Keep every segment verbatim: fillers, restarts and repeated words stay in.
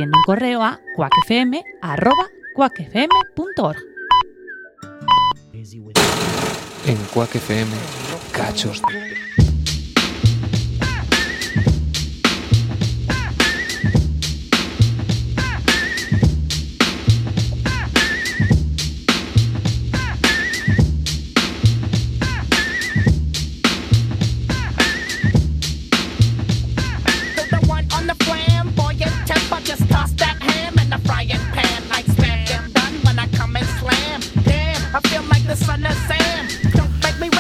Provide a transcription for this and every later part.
enviando un correo a cuacfm arroba cuacfm punto org. En Quack F M, cachos de...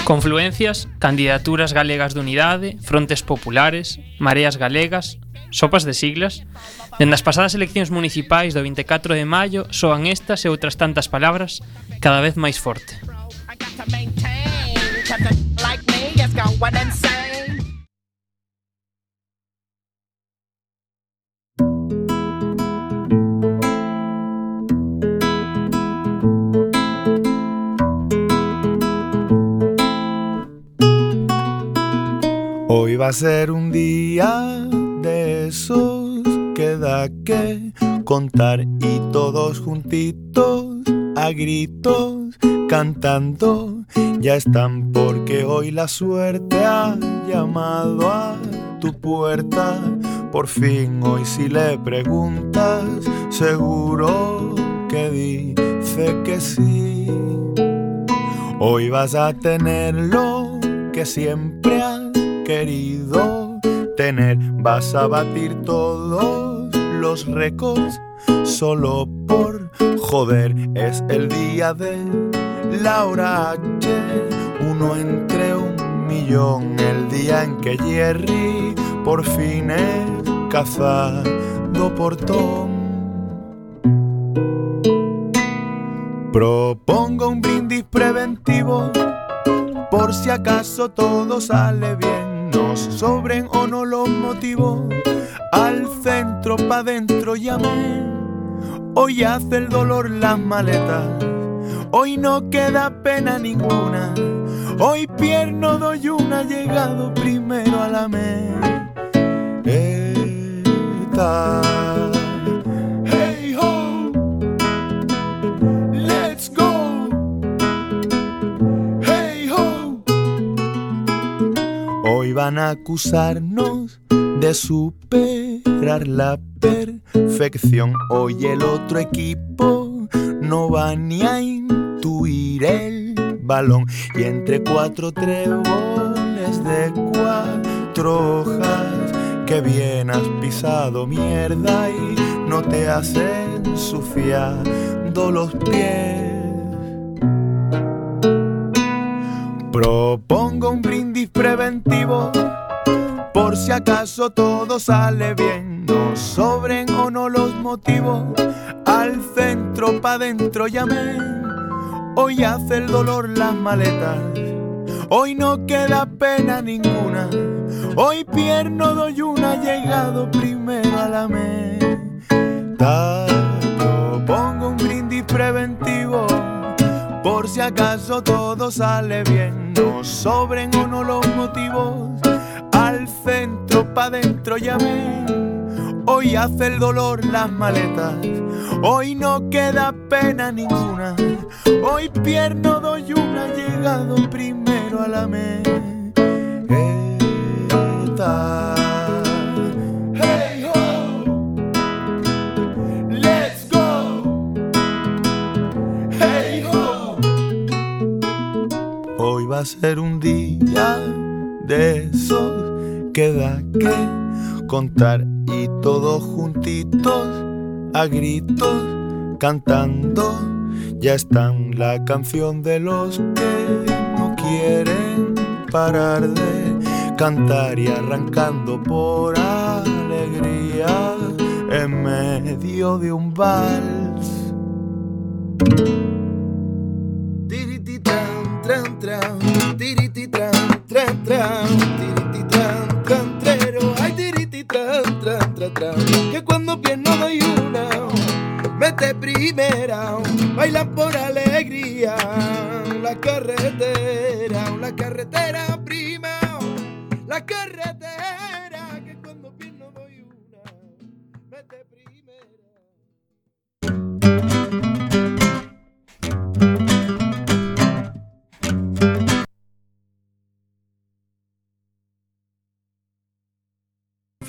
Confluencias, candidaturas galegas de unidade, frontes populares, mareas galegas, sopas de siglas. Dende as pasadas eleccións municipais do vinte e catro de maio soan estas e outras tantas palabras cada vez máis forte. Hoy va a ser un día de esos que da que contar y todos juntitos a gritos cantando ya están porque hoy la suerte ha llamado a tu puerta. Por fin hoy si le preguntas seguro que dice que sí. Hoy vas a tener lo que siempre has querido tener, vas a batir todos los récords solo por joder. Es el día de Laura H, uno entre un millón, el día en que Jerry por fin es cazado por Tom. Propongo un brindis preventivo por si acaso todo sale bien. Nos sobren o no los motivos, al centro pa' dentro llamé. Hoy hace el dolor las maletas, hoy no queda pena ninguna. Hoy pierno doy una, llegado primero a la meta. Hey ho, let's go. Hoy van a acusarnos de superar la perfección. Hoy el otro equipo no va ni a intuir el balón. Y entre cuatro tréboles de cuatro hojas, que bien has pisado mierda y no te has ensuciado los pies. Propongo un brindis preventivo por si acaso todo sale bien. Nos sobren o no los motivos, al centro pa' dentro llamé. Hoy hace el dolor las maletas, hoy no queda pena ninguna. Hoy pierno doy una, llegado primero a la meta. Propongo un brindis preventivo por si acaso todo sale bien. Nos sobren o no los motivos, al centro pa' dentro llamé. Hoy hace el dolor las maletas, hoy no queda pena ninguna. Hoy pierno doy una, llegado primero a la meta. Hey ho, let's go. Hey ho. Hoy va a ser un día de esos que da que contar y todos juntitos a gritos cantando ya están la canción de los que no quieren parar de cantar y arrancando por alegría en medio de un vals. Tirititran, tran, tran, tirititran, tran, tran, tirititran, tran, trero, ay tirititran, tran, tran, tran, que cuando pierno doy una, mete primera, bailan por alegría, la carretera, la carretera prima, la carretera, que cuando pierno doy una, mete primera.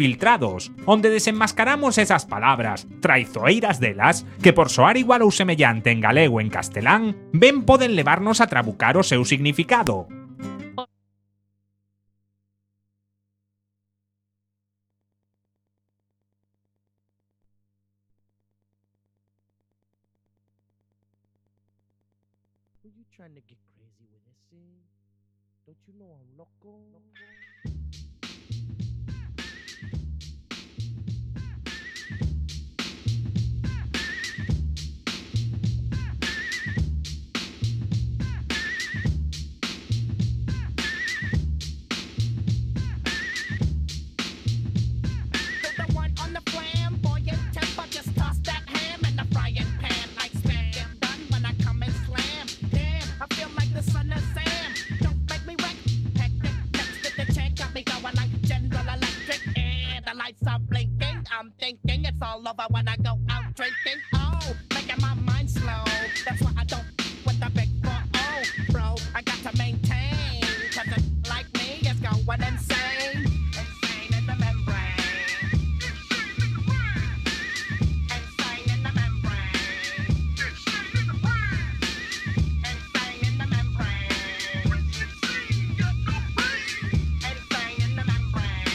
Infiltrados, onde desenmascaramos esas palabras traizoeiras delas que por soar igual ou semellante en galego e en castelán ben poden levarnos a trabucar o seu significado. Trying to get crazy with this thing. Don't you know I'm loco? loco? I'm thinking it's all over when I go out drinking. Oh, making my mind slow. That's why I don't with the big four oh, bro. I got to maintain, cause it like me is going insane. Insane in the membrane. Insane in the membrane. Insane in the brain. Insane in the membrane. Insane in the membrane.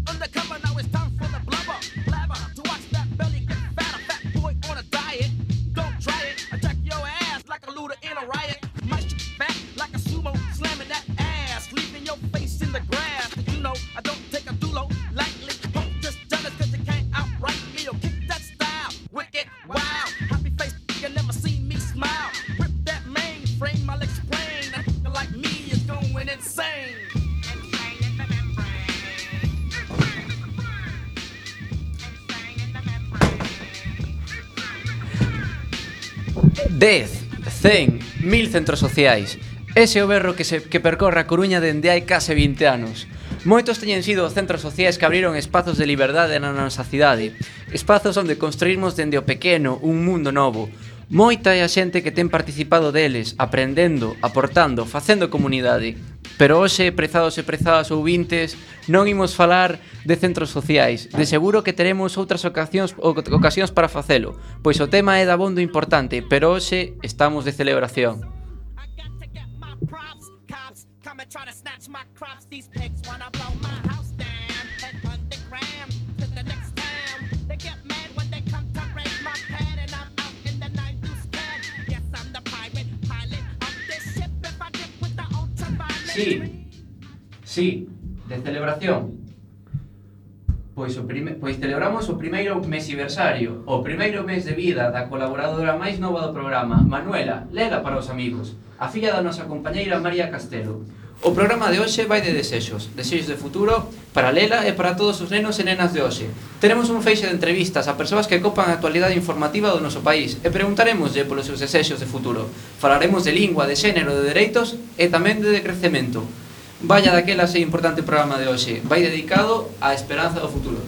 Undercover, now it's time for the blubber. Blabber, to watch that belly get fat. A fat boy on a diet. Don't try it. Attack your ass like a looter in a riot. My shit fat like a sumo, slamming that ass, leaving your face in the grass. Did you know I don't take a dulo lightly? Don't just jealous cause you can't outright me. Or kick that style. Wicked, wow. Happy face, you never see me smile. Rip that mainframe, I'll explain. A nigga like me is going insane. dez, cen, mil centros sociais. Ese é o berro que, se, que percorre a Coruña dende hai case vinte anos. Moitos teñen sido os centros sociais que abriron espazos de liberdade na nosa cidade. Espazos onde construímos dende o pequeno un mundo novo. Moita é a xente que ten participado deles, aprendendo, aportando, facendo comunidade. Pero hoxe, prezados e prezadas ouvintes, non imos falar de centros sociais. De seguro que teremos outras ocasións, ocasións para facelo, pois o tema é dabondo importante, pero hoxe estamos de celebración. Sí, sí, de celebración. Pois, o prime... pois celebramos o primeiro mesiversario, o primeiro mes de vida da colaboradora máis nova do programa, Manuela, Lela para os amigos, a filla da nosa compañeira María Castelo. O programa de hoxe vai de desexos, desexos de futuro para Lela e para todos os nenos e nenas de hoxe. Teremos un feixe de entrevistas a persoas que copan a actualidade informativa do noso país e preguntaremoslle polos seus desexos de futuro. Falaremos de lingua, de xénero, de dereitos e tamén de decrecemento. Vaya daquela sei importante programa de hoxe, vai dedicado á esperanza do futuro.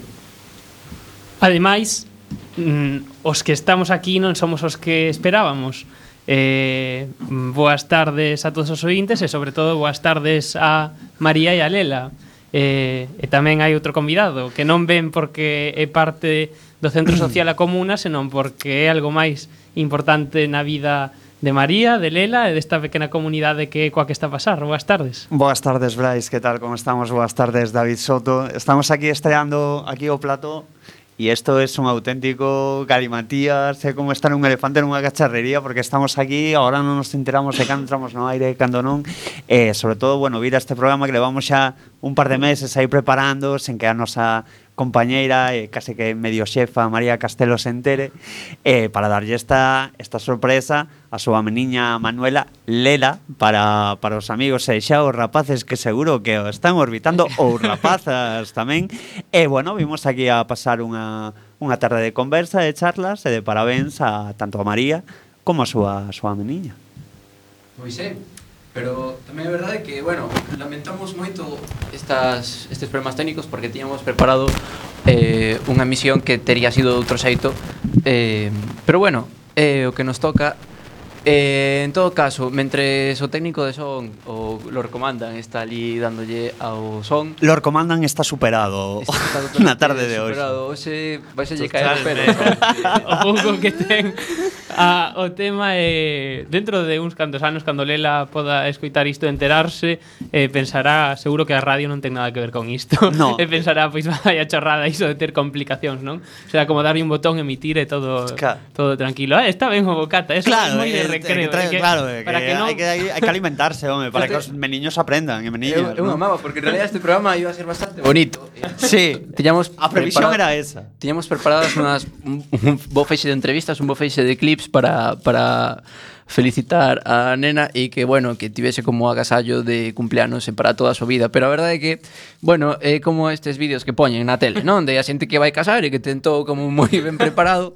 Ademais, mm, os que estamos aquí non somos os que esperábamos. Eh, boas tardes a todos os ointes e sobre todo boas tardes a María e a Lela. Eh, e tamén hai outro convidado que non ven porque é parte do Centro Social A Comuna, senón porque é algo máis importante na vida de María, de Lela e desta pequena comunidade que é coa que está a pasar. Boas tardes. Boas tardes, Brais, que tal, como estamos? Boas tardes, David Soto. Estamos aquí estreando aquí o plató e isto é un auténtico galimatías, é como estar un elefante nunha cacharrería, porque estamos aquí, agora non nos enteramos de cando entramos no aire e cando non, e sobre todo, bueno, vir a este programa que levamos xa un par de meses aí preparando, sen que a nosa compañeira e case que medio xefa María Castelo se entere, eh, para darlle esta, esta sorpresa a súa meniña Manuela, Lela, para, para os amigos e xa os rapaces que seguro que o están orbitando, ou rapazas tamén. E bueno, vimos aquí a pasar unha, unha tarde de conversa, de charlas e de parabéns a tanto a María como a súa, a súa meniña. Pois é, pero tamén é verdade que, bueno, lamentamos moito estas, estes problemas técnicos porque tiñamos preparado eh, unha misión que tería sido de outro xeito, eh, pero bueno, eh, o que nos toca Eh, en todo caso, mentres o técnico de son o Lord Comandan está ali dándolle ao son, Lord Comandan está superado está na tarde de hoxe. superado. Hoxe vai se lle caer o pelo. O pouco que ten a, o tema é dentro de uns cantos anos cando Lela poda escoitar isto e enterarse, eh, pensará seguro que a radio non ten nada que ver con isto. No. E pensará, pois vai a chorrada iso de ter complicacións, non? Será como darlle un botón, emitir e todo Claro. todo tranquilo. Eh, está ben o bocata, eso Claro, é moi de eh, recreo. que trae- é que- claro, eh, para que, que non hai que hai que alimentarse, home, para que os meniños aprendan, e meniñas. Eu, eu ¿no? amaba, porque en realidad este programa iba a ser bastante bonito. Sí, Tiñamos a previsión preparado- era esa. Tiñamos preparadas unhas, un, un bo feixe de entrevistas, un bo feixe de clips para, para felicitar a nena e que, bueno, que tivese como agasallo de cumpleanos e para toda a súa vida. Pero a verdade é que, bueno, é como estes vídeos que poñen na tele, non? De a xente que vai casar e que tentou como moi ben preparado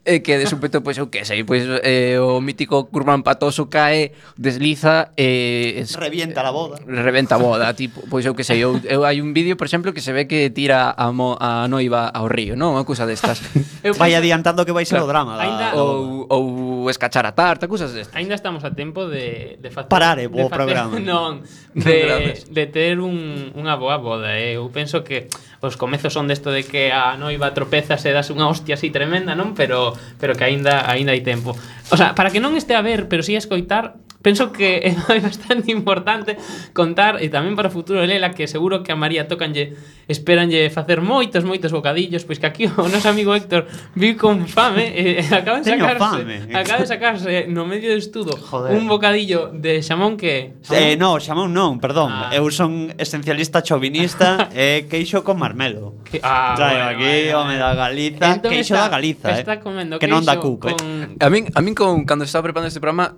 e que de súpeto, pois, eu que sei, pois eh, o mítico curmán patoso cae, desliza e... es- Revienta la boda. Reventa a boda, tipo, pois eu que sei, eu, eu hai un vídeo, por exemplo, que se ve que tira a, mo, a noiva ao río, non? Unha cousa destas. Eu Vai penso- adiantando que vai ser o Claro, drama da, ainda- da boda. ou, ou escachar a tarta, cousas destas. Aínda estamos a tempo de, de facer Parar, eh, de o programa. Non, de, de ter un, unha boa boda, eh. Eu penso que os comezos son desto de que a noiva tropeza e das unha hostia así tremenda, non? Pero pero que aínda aínda hai tempo. O sea, para que non este a ver, pero si a escoitar, penso que é bastante importante contar e tamén para o futuro de Lela, que seguro que a María tocanlle, esperanlle facer moitos, moitos bocadillos, pois que aquí o noso amigo Héctor vive con fame e acaba de Teño sacarse, fame. acaba de sacarse no medio do estudo Joder. un bocadillo de xamón que Eh, no, xamón non, perdón. Ah. Eu son esencialista chauvinista e queixo con marmelo. que ah, Traio bueno, aquí, bueno, home bueno. da Galiza, Entón queixo está- da Galiza, eh. está comendo que non da queixo cupe. con- A min, a min con, cando estaba preparando este programa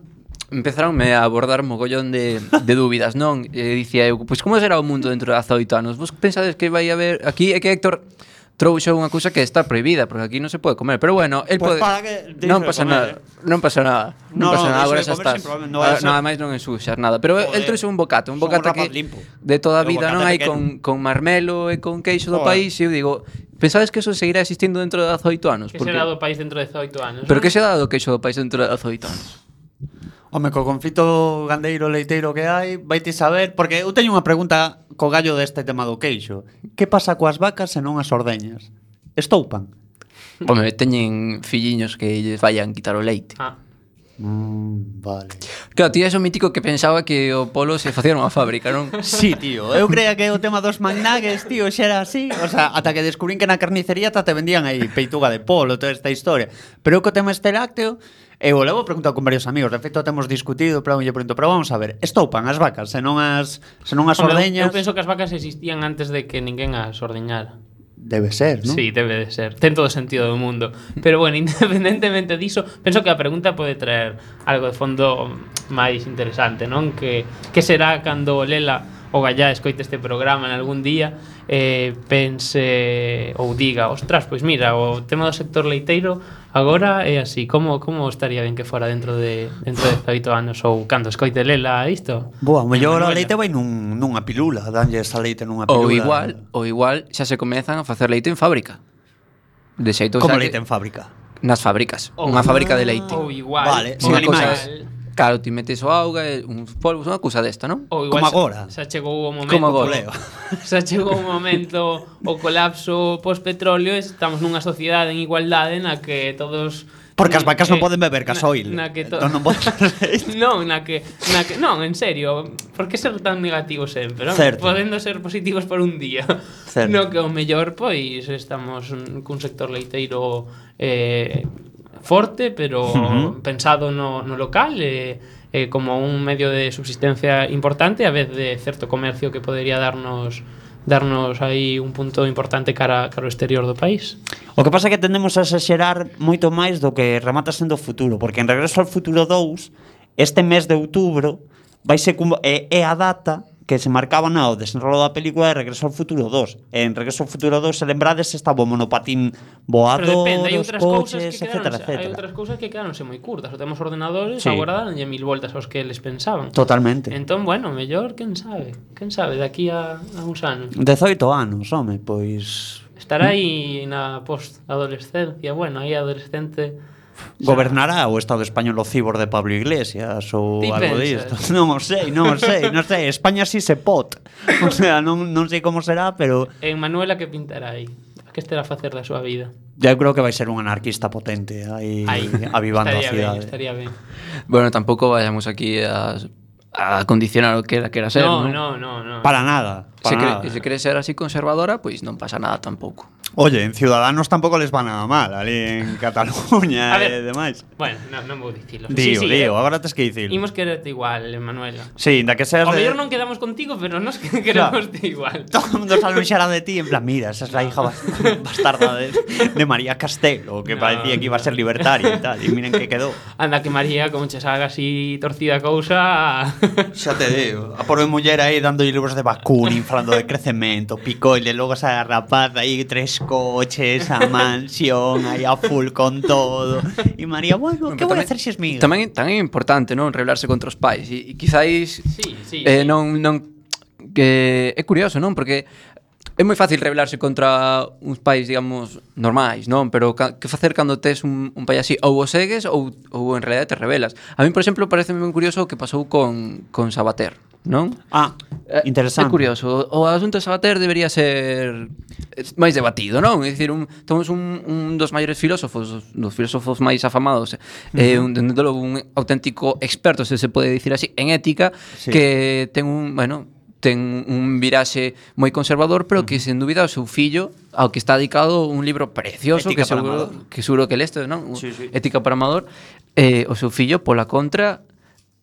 empezaronme a abordar mogollón de, de dúbidas, non? E dicía eu, pois como será o mundo dentro de dezaoito anos? Vos pensades que vai haber... Aquí é que Héctor trouxo unha cousa que está prohibida, porque aquí non se pode comer. Pero bueno, el Pues pode... para que deixe non de pasa comer, nada, eh. non pasa nada. No, Non pasa no, nada, deixe agora de xa comer estás. sin problema, non vai a Ah, ser- Nada máis non ensuxas nada. Pero Joder, el trouxe un bocata, un son un bocata rapaz que limpo. de toda a É un vida, non bocata hai pequeno. con, con marmelo e con queixo do Joder. país, e eu digo, pensades que eso seguirá existindo dentro de dezaoito anos? que Porque- será do país dentro de dezaoito anos. Pero non? que se dá do queixo do país dentro de dezaoito anos? Home, co conflito gandeiro leiteiro que hai, vaite saber, porque eu teño unha pregunta co gallo deste tema do queixo. Que pasa coas vacas e non as ordeñas? Estoupan? Home, teñen filliños que lles vayan quitar o leite. Ah, Mm, vale. Claro, tío, é o mítico que pensaba que o polo se facía nunha fábrica, non? Sí, tío, eu creía que o tema dos magnagues, tío, xa era así. O sea, ata que descubrín que na carnicería ta te vendían aí peituga de polo, toda esta historia. Pero eu co tema este lácteo, eu o levo preguntado con varios amigos. De feito, temos discutido, pero eu lle pregunto, pero vamos a ver, estoupan as vacas, se non as, se non as Hombre, ordeñas? eu penso que as vacas existían antes de que ninguén as ordeñara. Debe ser, non? Sí, debe de ser. Ten todo o sentido do mundo. Pero bueno, independentemente diso, penso que a pregunta pode traer algo de fondo máis interesante, non? Que, que será cando Lela o Gallá escoite este programa en algún día eh, pense ou diga, ostras, pois mira, o tema do sector leiteiro agora é así, como, como estaría ben que fora dentro de dentro de dezaoito anos ou cando escoite Lela isto? Boa, o mellor a Manuela. leite vai nun, nunha pilula, danlle esa leite nunha pilula. Ou igual, ou igual xa se comezan a facer leite en fábrica. De xeito Como xa leite que, en fábrica. nas fábricas, Ou- unha fábrica de leite. Ou igual, Vale, ou sin Unha animais. cousa- Claro, ti metes o auga e uns polvos, unha cousa desta, non? Ou igual Como xa- agora. Xa chegou o momento Como agora. Coleo. Xa chegou o momento o colapso post-petróleo e estamos nunha sociedade en igualdade na que todos Porque as vacas non eh, poden beber gasoil. Na, na que to... Non, non poden... non, na que, na que non, en serio, por que ser tan negativo sempre, non? Certo. Podendo ser positivos por un día. Certo. No que o mellor pois estamos cun sector leiteiro eh forte, pero Ujú. pensado no, no local e eh, como un medio de subsistencia importante a vez de certo comercio que podería darnos darnos aí un punto importante cara, cara ao exterior do país. O que pasa é que tendemos a exagerar moito máis do que remata sendo o futuro, porque en Regreso ao Futuro dous, este mes de outubro, vai ser como, é, é a data que se marcaba no desenrolo da película de Regreso ao Futuro dos. En Regreso ao Futuro dos, se lembrades, estaba o monopatín voador, Pero depende, hai os outras cousas coches, que etcétera, quedaronse, hai etcétera. outras cousas que quedaronse moi curtas. O temos ordenadores, Sí. agora danlle mil voltas aos que eles pensaban. Totalmente. Entón, bueno, mellor, quen sabe? Quen sabe daqui a, a uns anos. dezaoito anos, home, pois... Estará aí na post-adolescencia, bueno, aí adolescente Gobernará o Estado español o cibor de Pablo Iglesias ou Ti algo pensas? disto. Non o sei, non o sei, non sei. España si se pot. O sea, non, non sei como será, pero En Manuela que pintará aí? Que estará a facer da súa vida? eu creo que vai ser un anarquista potente aí Aí, avivando a estaría cidade. Ben, estaría ben. Bueno, tampouco vayamos aquí a, a condicionar o que ela quera ser, No, ¿no? no, no, no. Para nada, Se, para cre, nada. se quere ser así conservadora, pois non pasa nada tampouco. Oye, en Ciudadanos tampouco les va nada mal, ali en Cataluña A ver. e demais. Bueno, non no vou dicilo. Dío, sí, sí, dío, eh, agora tes que dicilo. Imos quererte igual, Manuela. Sí, da que seas O de... mellor non quedamos contigo, pero nos queremos te igual. Todo el mundo se anunciará de ti en plan, mira, esa es la hija bas- bastarda de, de María Castelo, que No, parecía que iba a ser libertaria y tal, y miren que quedó. Anda que María, como che salga así torcida a cousa... Xa te digo, a por mi muller aí dando libros de vacuna, inflando de crecemento, picoile, logo esa rapaz aí, tres coches, a mansión, aí a full con todo. Y María, bueno, que Pero voy a tamén- hacer si es mío? Tamén, tamén é importante, non, rebelarse contra os pais e, e quizáis Sí, sí, eh, sí. non, non que é curioso, non? Porque é moi fácil rebelarse contra uns pais, digamos, normais, non? Pero ca, que facer cando tes un, un pai así? Ou o segues ou, ou en realidad te rebelas. A mí, por exemplo, parece moi curioso o que pasou con, con Sabater, non? Ah, Eh, interesante. É curioso. O asunto de Sabater debería ser máis debatido, non? É dicir, un, temos un, un dos maiores filósofos, dos filósofos máis afamados, eh, un, dende logo un auténtico experto, se se pode dicir así, en ética, Sí. que ten un, bueno, ten un viraxe moi conservador, pero que sen dúbida o seu fillo ao que está dedicado un libro precioso Ética que para seguro amador. que seguro que leste, non? Sí, sí. Ética para amador. Eh, o seu fillo pola contra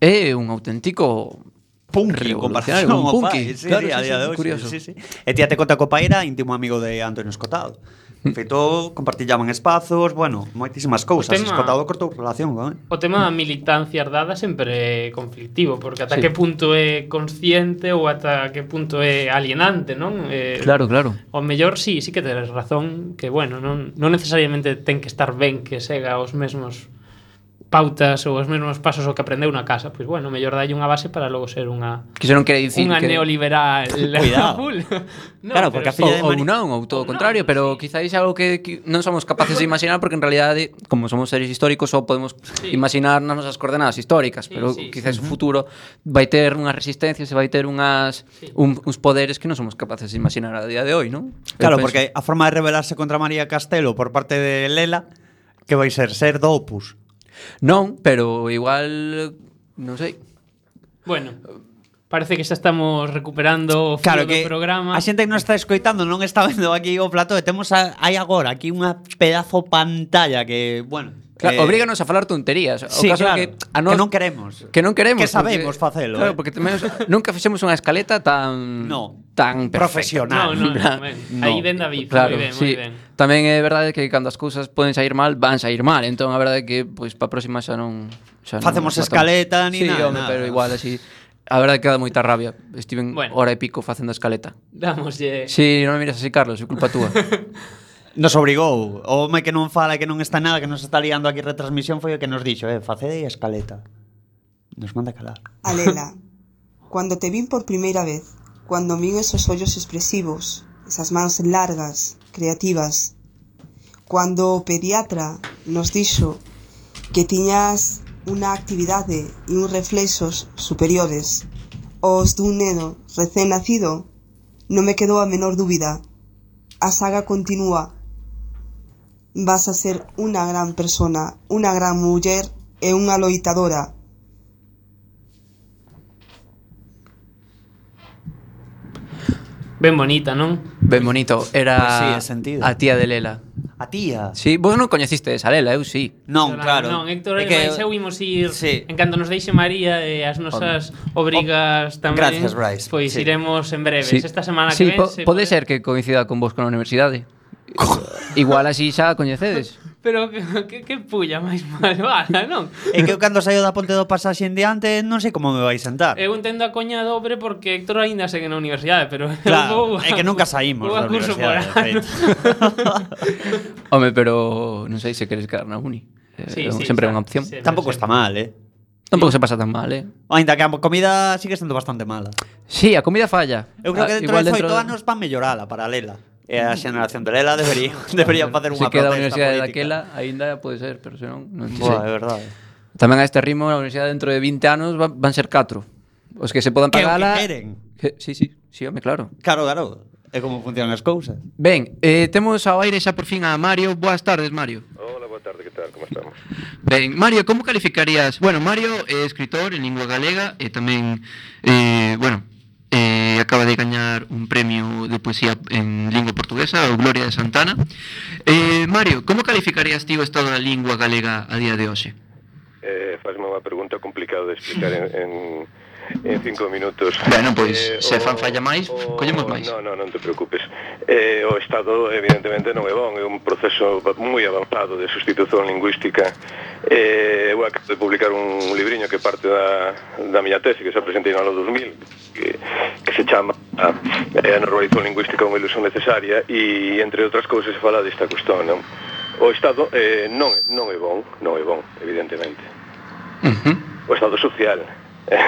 é un auténtico Punky, en revolucionario, comparación un ao punky. pai. Sí, Claro, sí, a sí, día sí, de hoxe. curioso. Sí, sí. E tía te conta co pai era íntimo amigo de Antonio Escotado. De feito, compartillaban espazos, bueno, moitísimas cousas. tema- Escotado cortou relación con él. O tema da militancia ardada sempre é conflictivo, porque ata Sí. que punto é consciente ou ata que punto é alienante, non? Eh, Claro, claro. O mellor sí, sí que teres razón, que bueno, non, non necesariamente ten que estar ben que sega os mesmos pautas ou os mesmos pasos o que aprendeu na casa, pois bueno, mellor dalle unha base para logo ser unha Que se non quere dicir unha que neoliberal Cuidado. full. No, Claro, porque a pero- filla de ou, Mari- ou non, ou todo o Ou contrario, non, pero sí. quizáis algo que, que non somos capaces de imaginar porque en realidade, como somos seres históricos, só podemos Sí. imaginar nas nosas coordenadas históricas, Sí, pero sí, quizás o futuro vai ter unhas resistencias e vai ter unhas Sí. un, uns poderes que non somos capaces de imaginar a día de hoy, non? Eu Claro, penso. porque a forma de rebelarse contra María Castelo por parte de Lela que vai ser ser do Opus. Non, pero igual non sei. Bueno, parece que xa estamos recuperando o fío Claro do que programa. a xente que non está escoitando non está vendo aquí o plató e temos a, hai agora aquí unha pedazo pantalla que, bueno, Claro, eh, obríganos a falar tonterías. O sí, caso claro, é que a que nós non queremos. que non queremos Que sabemos facelo, Claro, eh. porque tamén nunca fixemos unha escaleta tan No, tan perfecta. profesional. No, no, no, En plan, ben. no. Aí ven David, Claro, moi ben, sí. moi ben. Tamén é verdade que cando as cousas poden sair mal, van sair mal. Entón a verdade é que pois para a próxima xa non xa non Facemos nos matamos. escaleta ni sí, nada, home, nada. pero igual así a verdade é que dá moita rabia. Estiven Bueno. hora e pico facendo a escaleta. Damoslle... Si, sí, non me miras así, Carlos, é culpa túa. Nos obrigou. O home que non fala e que non está nada, que nos está liando aquí retransmisión foi o que nos dixo, eh, facede a escaleta. Nos manda calar. Alela, cuando te vi por primera vez, cuando vi esos ojos expresivos, esas manos largas, creativas, cuando o pediatra nos dixo que tiñas unha actividade e uns reflexos superiores aos dun neno recén nacido, non me quedou a menor dúbida. A saga continúa. Vas a ser unha gran persona, unha gran muller e unha loitadora. Ben bonita, non? Ben bonito, era Pois sí, é sentido. a tía de Lela. A tía. Sí, vos non coñeciste esa Lela, eu sí. Non, claro. Non, Héctor, É que... eu imos ir Sí. en canto nos deixe María e as nosas obrigas tamén. Gracias, Bryce. Pois Sí. iremos en breves. Sí. Esta semana sí, que ven po se pode ser que coincida con vos con a universidade. Igual así xa a coñecedes. Pero que, que, que pulla máis malvada, non? É que eu cando saio da ponte do pasaxe en diante non sei como me vai sentar. Eu entendo a coña dobre porque Héctor aínda segue na universidade, pero Claro, eu vou é que nunca saímos vou da a curso por universidade, de ano. feito. Home, pero non sei se queres quedar na uni. Eh, Sí, é un- sí, sempre é está. unha opción. Sí. Tampouco está mal, eh. Tampouco se pasa tan mal, eh. Ainda que a comida sigue sendo bastante mala. Sí, a comida falla. Eu creo Ah, que dentro igual de oito de- anos van mellorala paralela. E a xeneración de Lela debería, debería facer Se unha queda a protesta universidade política. daquela, aínda pode ser, pero senón non sei. Buah, é verdade. Tamén a este ritmo, a universidade dentro de vinte anos va- van ser catro. Os que se podan Que é o que pagala... queren. Que- Sí, sí, sí, home, claro. Claro, claro. É como funcionan as cousas. Ben, eh, temos ao aire xa por fin a Mario. Boas tardes, Mario. Hola, boa tarde, que tal? Como estamos? Ben, Mario, como calificarías... Bueno, Mario é escritor en lingua galega e tamén, eh, bueno, eh, acaba de gañar un premio de poesía en lingua portuguesa, o Gloria de Santana. Eh, Mario, como calificarías ti o estado da lingua galega a día de hoxe? Eh, Fazme unha pregunta complicada de explicar en, en, en cinco minutos. Bueno, pois, se fan falla máis, collemos máis. Non, non, non te preocupes. Eh, o Estado, evidentemente, non é bon. É un proceso moi avanzado de sustitución lingüística. Eh, eu acabo de publicar un libriño que parte da, da miña tese, que se presentei no ano dos mil, que, que se chama a, a normalización lingüística unha ilusión necesaria, e, entre outras cousas, se fala desta cuestión, non? O Estado eh, non, non é bon, non é bon, evidentemente. Uh-huh. O Estado social, eh,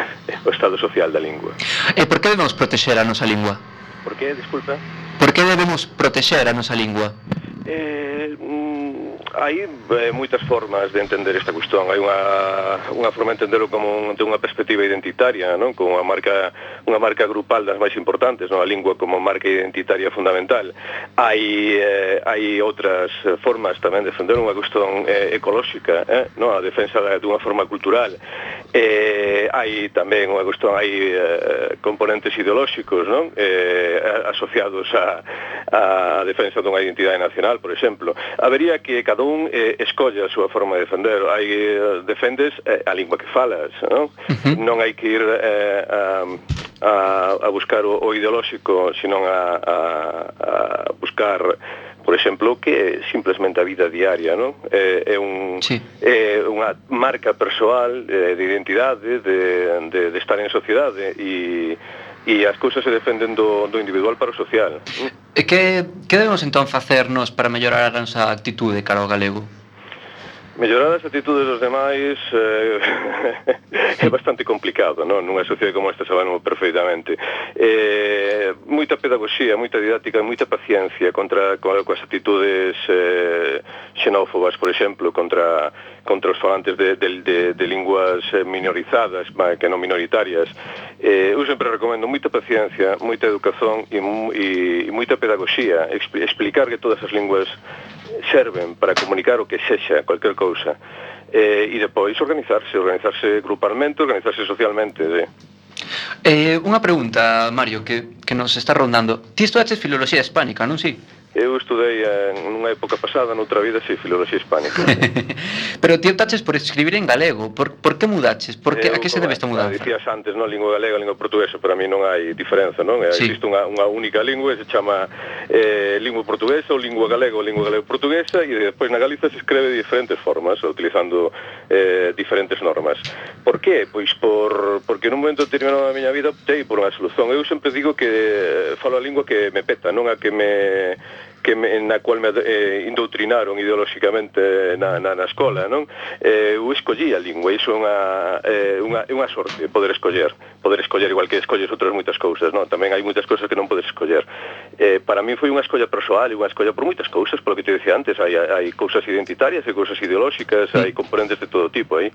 o Estado social da lingua. E por que debemos protexer a nosa lingua? Por que, disculpa? Por que debemos protexer a nosa lingua? Eh, mm, hai eh, moitas formas de entender esta cuestión. Hai unha, unha forma de entenderlo como un, de unha perspectiva identitaria, non? Como unha marca, unha marca grupal das máis importantes, non? A lingua como marca identitaria fundamental. Hai, eh, hai outras formas tamén de defender unha cuestión eh, ecolóxica, eh? Non? A defensa de unha forma cultural. Eh, hai tamén unha cuestión, hai eh, componentes ideolóxicos, non? Eh, asociados a, a defensa dunha identidade nacional, por exemplo. Habería que cada un eh, escolla a súa forma de defender. Hai eh, defendes eh, a lingua que falas, non? Uh-huh. Non hai que ir eh, a, a, a buscar o, o ideolóxico, senón a, a, a buscar, por exemplo, que é simplesmente a vida diaria, non? É, é, un, sí. é unha marca persoal eh, de identidade, de, de, de estar en sociedade, e e as cousas se defenden do, do individual para o social. E que, que debemos entón facernos para mellorar a nosa actitude cara ao galego? Mellorar as actitudes dos demais eh, é bastante complicado, non? Nunha sociedade como esta sabemos perfeitamente. Eh, moita pedagogía, moita didáctica, moita paciencia contra coas actitudes eh, xenófobas, por exemplo, contra contra os falantes de, de, de, de linguas minorizadas, que non minoritarias. Eh, eu sempre recomendo moita paciencia, moita educación e, e, e moita pedagogía, explicar que todas as linguas serven para comunicar o que sexa, cualquier cousa, eh, e depois organizarse, organizarse grupalmente, organizarse socialmente. Eh. Eh, unha pregunta, Mario, que, que nos está rondando. Ti estudaches filoloxía hispánica, non si? Eu estudei en unha época pasada, noutra vida, si, filoloxía hispánica. Pero ti optaches por escribir en galego. Por, por que mudaches? Por que, a que se debe esta mudanza? Dicías antes, non, lingua galega, lingua portuguesa, para mí non hai diferenza, non? Sí. Existe unha, unha única lingua, se chama eh, lingua portuguesa ou lingua galega ou lingua galego-portuguesa, e despois na Galiza se escreve de diferentes formas, utilizando eh, diferentes normas. Por que? Pois por, porque nun momento determinado da miña vida optei por unha solución. Eu sempre digo que falo a lingua que me peta, non a que me que me, na cual me eh, indoutrinaron ideolóxicamente na, na, na escola, non? Eh, eu escollí a lingua, iso é unha, eh, unha, unha sorte, poder escoller, poder escoller igual que escolles outras moitas cousas, non? Tamén hai moitas cousas que non podes escoller. Eh, para mí foi unha escolla persoal e unha escolla por moitas cousas, polo que te decía antes, hai, hai cousas identitarias, hai cousas ideolóxicas, sí. Hai componentes de todo tipo aí.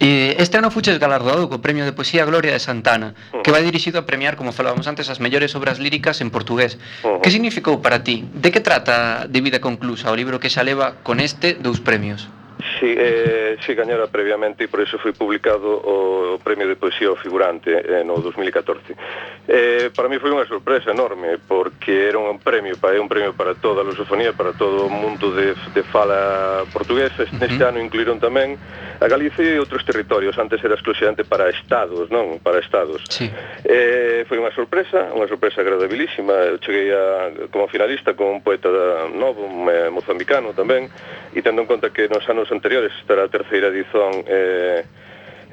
E este ano fuches galardoado co Premio de Poesía Gloria de Santana, uh-huh. que vai dirixido a premiar, como falábamos antes, as mellores obras líricas en portugués. Uh-huh. Que significou para ti? De que trata De vida conclusa, o libro que xa leva con este dous premios? Sí, eh, sí, gañara previamente e por eso foi publicado o Premio de Poesía ao Figurante eh, no dos mil catorce. Eh, para mí foi unha sorpresa enorme, porque era un premio, é un premio para toda a lusofonía, para todo o mundo de, de fala portuguesa. Neste uh-huh. ano incluíron tamén a Galicia e outros territorios. Antes era exclusivamente para estados, non? Para estados. Sí. Eh, foi unha sorpresa, unha sorpresa agradabilísima. Eu cheguei a, como finalista con un poeta novo, un eh, mozambicano tamén, e tendo en conta que nos anos anteriores, esta era a terceira edición, eh,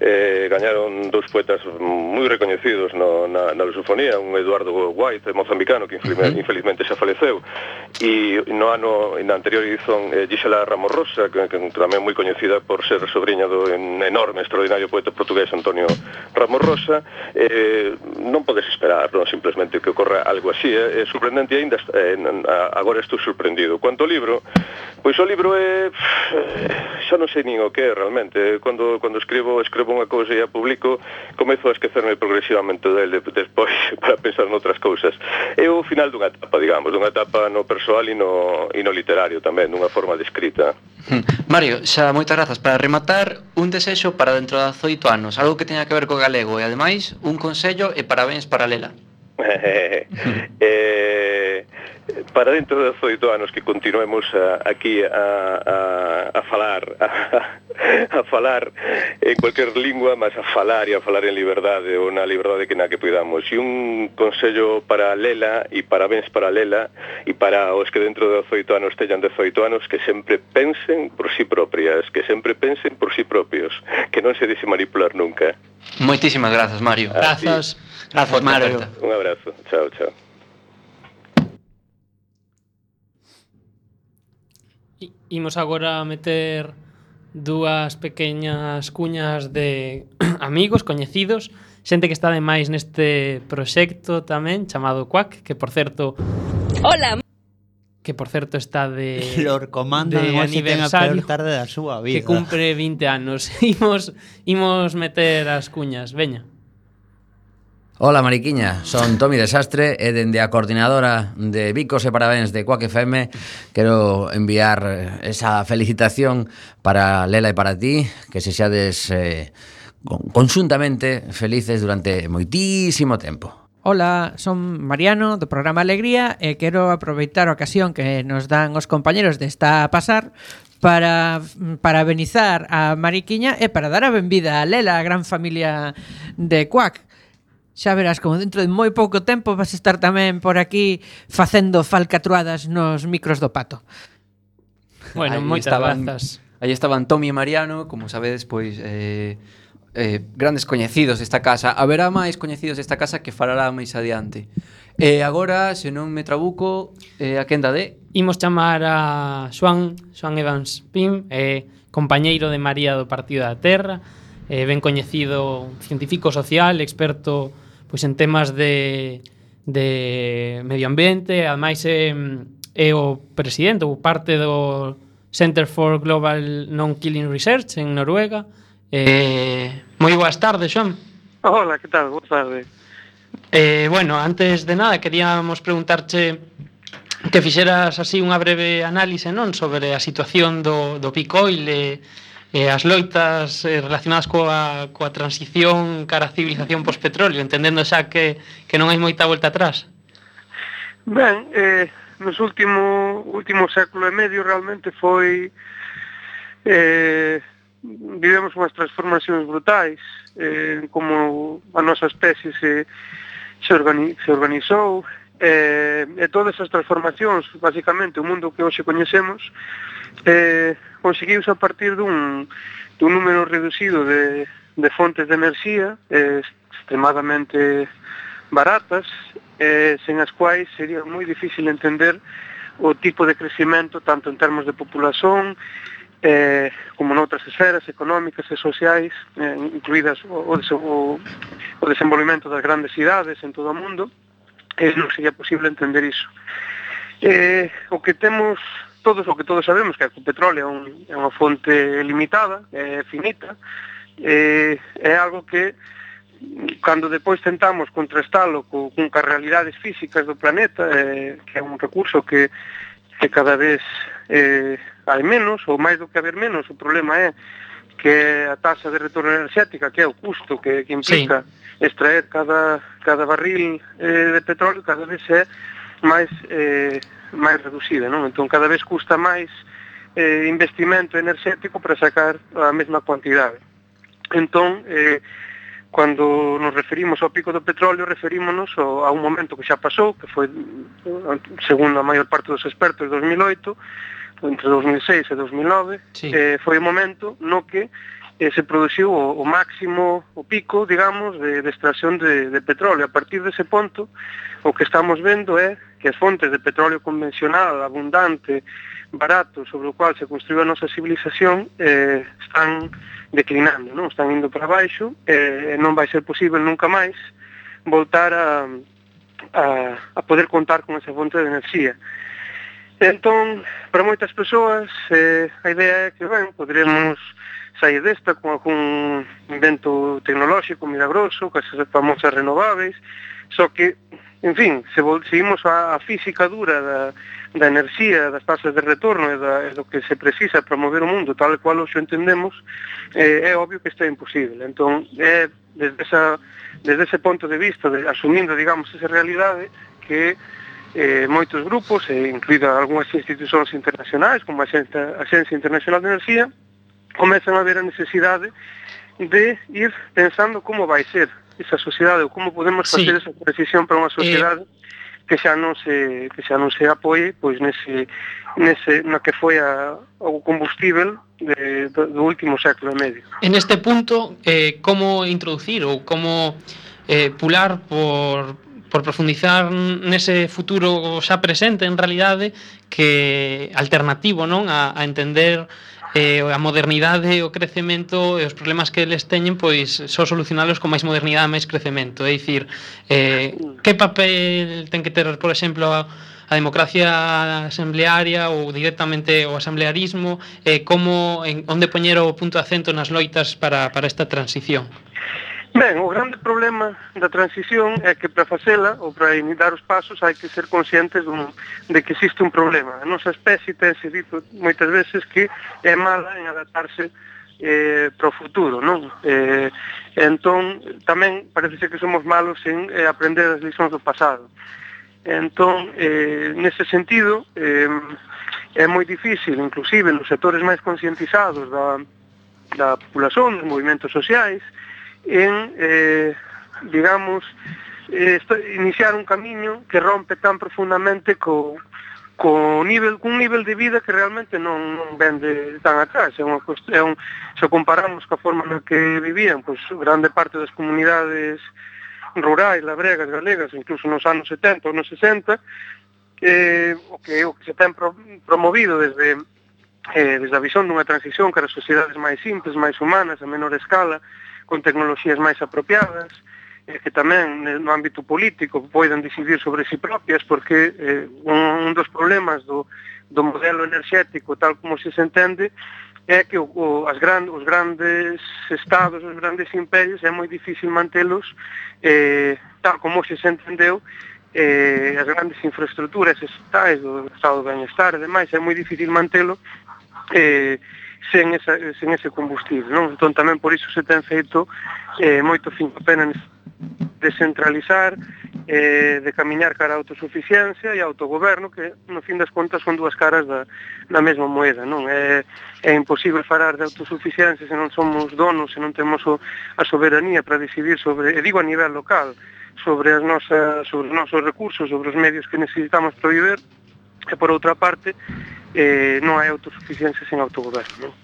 eh, gañaron dous poetas moi recoñecidos no, na, na lusofonía, un Eduardo White, mozambicano, que infelizmente, uh-huh. infelizmente xa faleceu, e no ano, na anterior edición, eh, Gisela Ramos Rosa, que, que tamén moi coñecida por ser sobrinha do enorme, extraordinario poeta portugués Antonio Ramos Rosa. Eh, non podes esperar, non, simplemente que ocorra algo así, é eh, sorprendente, e ainda eh, agora estou sorprendido. Quanto ao libro, pois o libro é, xa non sei nin o que é realmente. Cando, cando escribo, escribo unha cousa e a publico, comezo a esquecerme progresivamente dele despois para pensar noutras cousas. É o final dunha etapa, digamos, dunha etapa no persoal e no, e no literario tamén, dunha forma de escrita. Mario, xa moitas grazas. Para rematar, un desexo para dentro de dezoito anos, algo que teña que ver co galego, e ademais un consello e parabéns para Lela. eh, para dentro de dezoito anos que continuemos a, aquí a, a, a falar a, a falar en cualquier lingua, mas a falar e a falar en liberdade, ou na liberdade que na que podamos. E un consello para Lela, e parabéns para Lela, e para os que dentro de dezoito anos teñan dezoito anos, que sempre pensen por si propias, que sempre pensen por si propios, que non se deixe manipular nunca. Moitísimas grazas, Mario. Grazas. Grazas, Mario. Un abrazo. Chao, chao. Imos agora a meter dúas pequeñas cuñas de amigos, coñecidos, xente que está ademais neste proxecto tamén chamado Quack, que por certo Hola. Que por certo está de Lord Commander de aniversario, a peor tarde da súa vida. que cumpre vinte anos. Imos imos meter as cuñas, veña. Hola Mariquiña, son Tomi Desastre e dende a coordinadora de Bicos e Parabéns de Quack F M quero enviar esa felicitación para Lela e para ti, que se xades eh, conxuntamente felices durante moitísimo tempo. Hola, son Mariano do programa Alegría e quero aproveitar a ocasión que nos dan os compañeros de Está a Pasar para parabenizar a Mariquiña e para dar a benvida a Lela, a gran familia de Quack. Xa verás como dentro de moi pouco tempo vas estar tamén por aquí facendo falcatruadas nos micros do Pato. Bueno, Aí moitas estaban, grazas. Aí estaban Tomi e Mariano, como sabedes, pois eh, eh, grandes coñecidos desta casa. Haberá máis coñecidos desta casa que falará máis adiante. E agora, se non me trabuco, eh, a quenda de... Imos chamar a Xoan, Xoan Evans Pim, eh, compañeiro de María do Partido da Terra, eh, ben coñecido, científico social, experto pois en temas de, de medio ambiente, ademais é, é o presidente ou parte do Center for Global Non-Killing Research en Noruega. Eh, moi boas tardes, Xoan. Hola, que tal? Boas tardes. Eh, bueno, antes de nada, queríamos preguntarche que fixeras así unha breve análise, non, sobre a situación do, do peak oil e E as loitas eh, relacionadas coa, coa transición cara a civilización post-petróleo, entendendo xa que, que non hai moita volta atrás. Ben, eh, nos último, último século e medio realmente foi... Eh, vivemos unhas transformacións brutais, eh, como a nosa especie se, se, organi, se organizou, eh, e todas as transformacións, basicamente, o mundo que hoxe coñecemos, eh, conseguiuse a partir dun, dun número reducido de, de fontes de enerxía eh, extremadamente baratas, eh, sen as quais sería moi difícil entender o tipo de crecimento tanto en termos de populación eh, como noutras esferas económicas e sociais, eh, incluídas o, o, o desenvolvemento das grandes cidades en todo o mundo. Eh, non sería posible entender iso. Eh, o que temos todos o que todos sabemos que o petróleo é, un, é unha fonte limitada, é finita, é, é algo que cando depois tentamos contrastalo con, con as realidades físicas do planeta, é, que é un recurso que, que cada vez eh, hai menos, ou máis do que haber menos, o problema é que a taxa de retorno enerxética, que é o custo que, que implica sí. extraer cada, cada barril eh, de petróleo, cada vez é máis eh, máis reducida, non? Entón cada vez custa máis eh, investimento enerxético para sacar a mesma cuantidade. Entón, eh, cando nos referimos ao pico do petróleo, referímonos ao, a un momento que xa pasou, que foi, segundo a maior parte dos expertos, dos mil oito, entre dos mil seis e dos mil nove, sí. eh, foi o momento no que eh, se produciu o, o máximo, o pico, digamos, de, de extracción de, de petróleo. A partir dese ponto, o que estamos vendo é que as fontes de petróleo convencional, abundante, barato, sobre o cual se construiu a nosa civilización, eh, están declinando, non? Están indo para baixo, e eh, non vai ser posible nunca máis voltar a, a, a poder contar con esa fonte de enerxía. Entón, para moitas persoas, eh, a idea é que, ben, poderemos sair desta con algún invento tecnolóxico milagroso, con esas famosas renováveis, só que, en fin, se seguimos a, a física dura da, da enerxía, das tasas de retorno e, da, e do que se precisa para mover o mundo tal e cual hoxe entendemos, eh, é obvio que isto é imposible. Entón, é desde, esa, desde ese ponto de vista, de, asumindo, digamos, esa realidade, que eh, moitos grupos, e incluída algunhas institucións internacionais, como a Axencia Internacional de Enerxía, comezan a ver a necesidade de ir pensando como vai ser esa sociedade, ou como podemos facer sí. esa transición para unha sociedade eh... que xa non se que xa non se apoie pois nese nese na que foi a, o combustível de, do, do último século e medio. En este punto, eh, como introducir ou como eh, pular por por profundizar nese futuro xa presente, en realidade, que alternativo, non, a, a entender eh, a modernidade, o crecemento e os problemas que eles teñen, pois só solucionalos con máis modernidade e máis crecemento. É dicir, eh, que papel ten que ter, por exemplo, a, a democracia asamblearia ou directamente o asamblearismo, eh, como, en, onde poñer o punto de acento nas loitas para, para esta transición? Ben, o grande problema da transición é que para facela, ou para dar os pasos, hai que ser conscientes dun, de que existe un problema. A nosa especie tense dito moitas veces que é mala en adaptarse eh, para o futuro, non? Eh, entón, tamén parece ser que somos malos en eh, aprender as liçóns do pasado. Entón, eh, nese sentido, eh, é moi difícil, inclusive nos sectores máis conscientizados da, da populación, dos movimentos sociais, en, eh, digamos, eh, iniciar un camiño que rompe tan profundamente co, co nivel, cun nivel de vida que realmente non, non vende tan atrás. É unha cuestión, se comparamos ca forma na que vivían, pois grande parte das comunidades rurais, labregas, galegas, incluso nos anos setenta ou nos sesenta, eh, o, que, o que se ten pro, promovido desde, eh, desde a visión dunha transición cara a sociedades máis simples, máis humanas, a menor escala, con tecnoloxías máis apropiadas, eh, que tamén no ámbito político poden decidir sobre si propias, porque eh, un, un dos problemas do, do modelo enerxético tal como se se entende é que o, o, as gran, os grandes estados, os grandes imperios, é moi difícil mantelos eh, tal como se se entendeu, eh, as grandes infraestructuras estatais do estado de bienestar e demais, é moi difícil mantelo eh, sen, esa, sen ese combustible, non? Entón tamén por iso se ten feito eh, moito fin a pena descentralizar, eh, de camiñar cara a autosuficiencia e autogoberno, que no fin das contas son dúas caras da, da mesma moeda, non? É, é imposible falar de autosuficiencia se non somos donos, se non temos o, a soberanía para decidir sobre, e digo a nivel local, sobre as nosas, sobre os nosos recursos, sobre os medios que necesitamos para viver, e por outra parte eh, non hai autosuficiencia sen autogoberno, non?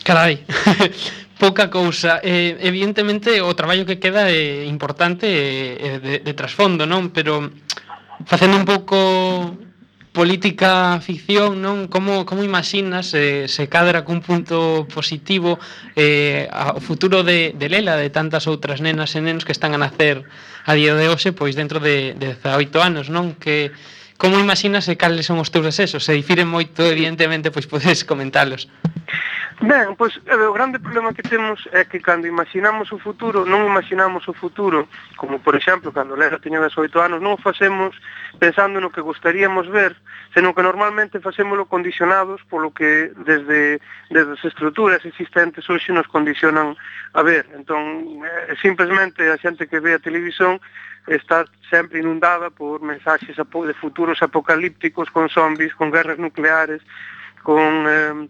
Carai, pouca cousa. Eh, evidentemente o traballo que queda é importante e de, de trasfondo, non? Pero facendo un pouco política ficción, non? Como, como imaginas eh, se cadra cun punto positivo eh, ao futuro de, de Lela, de tantas outras nenas e nenos que están a nacer a día de hoxe, pois dentro de, de dezaoito anos, non? Que como imaginas e cales son os teus desexos? Se difiren moito, evidentemente, pois podes comentalos. Ben, pois o grande problema que temos é que cando imaginamos o futuro, non imaginamos o futuro, como por exemplo, cando Lela teña dezaoito anos, non o facemos pensando no que gostaríamos ver, senón que normalmente facémolo condicionados polo que desde, desde as estruturas existentes hoxe nos condicionan a ver. Entón, eh, simplemente a xente que ve a televisión está sempre inundada por mensaxes de futuros apocalípticos con zombies, con guerras nucleares, con eh,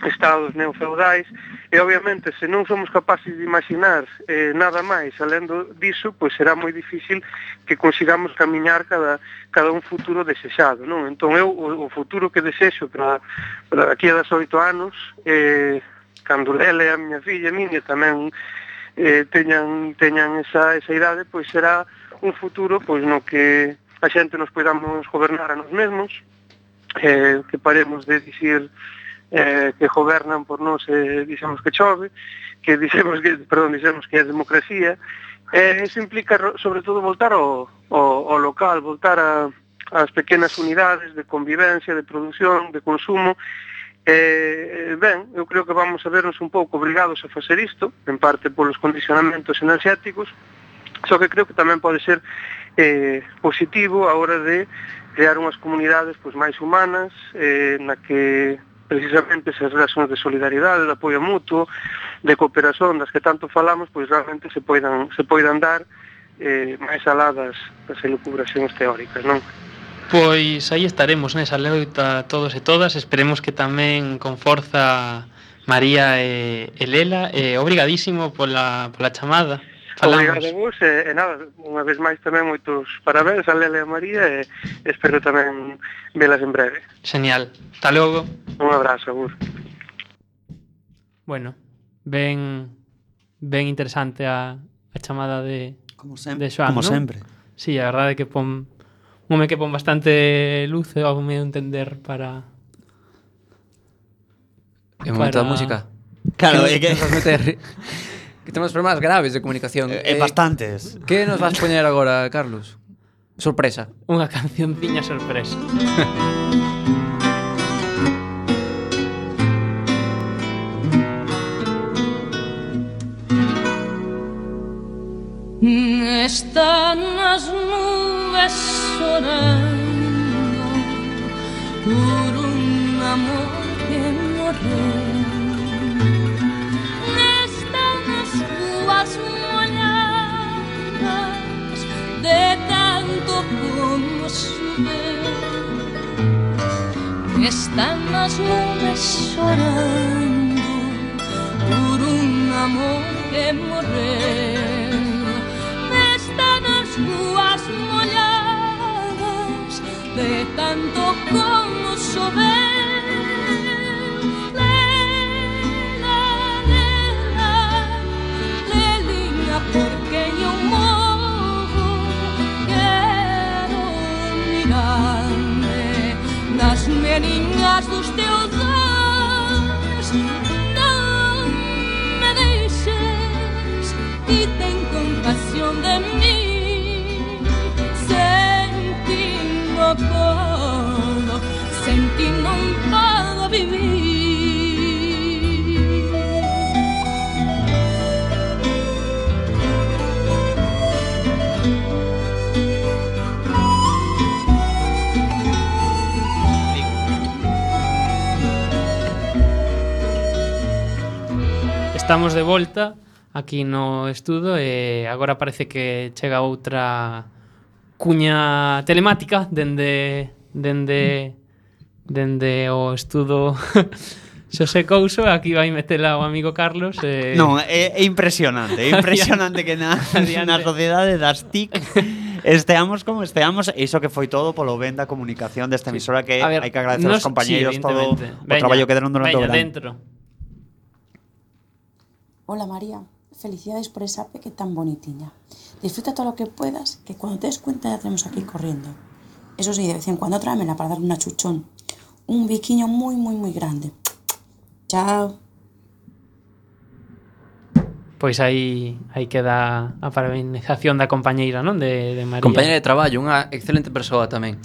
estados neofeudais, e obviamente se non somos capaces de imaginar eh, nada máis alendo diso, pois será moi difícil que consigamos camiñar cada, cada un futuro desexado, non? Entón eu o, o futuro que desexo para, para aquí a dezaoito anos, eh, cando ela e a miña filla, a miña, tamén eh, teñan, teñan esa, esa idade, pois será un futuro pois no que a xente nos podamos gobernar a nos mesmos, eh, que paremos de dicir eh, que gobernan por nós e eh, dixemos que chove, que dixemos que, perdón, dixemos que é democracia. Eh, eso implica sobre todo voltar ao, ao, ao local, voltar a as pequenas unidades de convivencia, de produción, de consumo. Eh, ben, eu creo que vamos a vernos un pouco obrigados a facer isto, en parte polos condicionamentos enerxéticos, só que creo que tamén pode ser eh, positivo a hora de crear unhas comunidades pois, máis humanas, eh, na que precisamente esas relacións de solidaridade, de apoio mutuo, de cooperación das que tanto falamos, pois realmente se poidan, se poidan dar eh, máis alá das, das elucubracións teóricas, non? Pois aí estaremos nesa loita todos e todas. Esperemos que tamén con forza María e, e Lela. E obrigadísimo pola, pola chamada. Falamos. Obrigado a vos e, e nada, unha vez máis tamén moitos parabéns a Lela e a María e espero tamén velas en breve. Genial. Hasta logo. Un abrazo, agur. Bueno, ben ben interesante a, a chamada de Como sempre, de Xoán, como ¿no? sempre. Sí, a verdade é que pon un home que pon bastante luz e ao meu entender para É momento da para- música. Claro, que, é que- nos vas meter que temos problemas graves de comunicación. Eh, bastantes. Que nos vas poñer agora, Carlos? Sorpresa. Unha cancionciña sorpresa. Están as nubes chorando por un amor que morreu. Están as ruas molladas de tanto como choveu. Están as nubes chorando por un amor que morreu. Están as ruas molladas de tanto como choveu. Lela, lela, lelinha, porque eu morro. Quero mirar-me nas meninas dos teus olhos. Não me deixes e tem compaixão de mim. Senti no podo, senti non podo vivir. Estamos de volta aquí no estudo e agora parece que chega outra cuña telemática dende dende dende o estudo Xosé Couso. Aquí vai metela o amigo Carlos e... Non, é, é impresionante, é impresionante que na, na sociedade das T I C esteamos como esteamos, e iso que foi todo polo ben da comunicación desta emisora, que A ver, hai que agradecer nos- aos compañeiros sí, todo evidentemente. o Veña, traballo que deron durante o veña, verán. dentro. Hola María, felicidades por esa peque tan bonitiña. Disfruta todo lo que puedas, que cuando te des cuenta ya tenemos aquí corriendo. Eso sí, de vez en cuando tráemela para darle una chuchón. Un biquiño muy, muy, muy grande. Chao. Pois aí aí queda a parabenización da compañeira, non? De, de María. Compañera de traballo, unha excelente persoa tamén.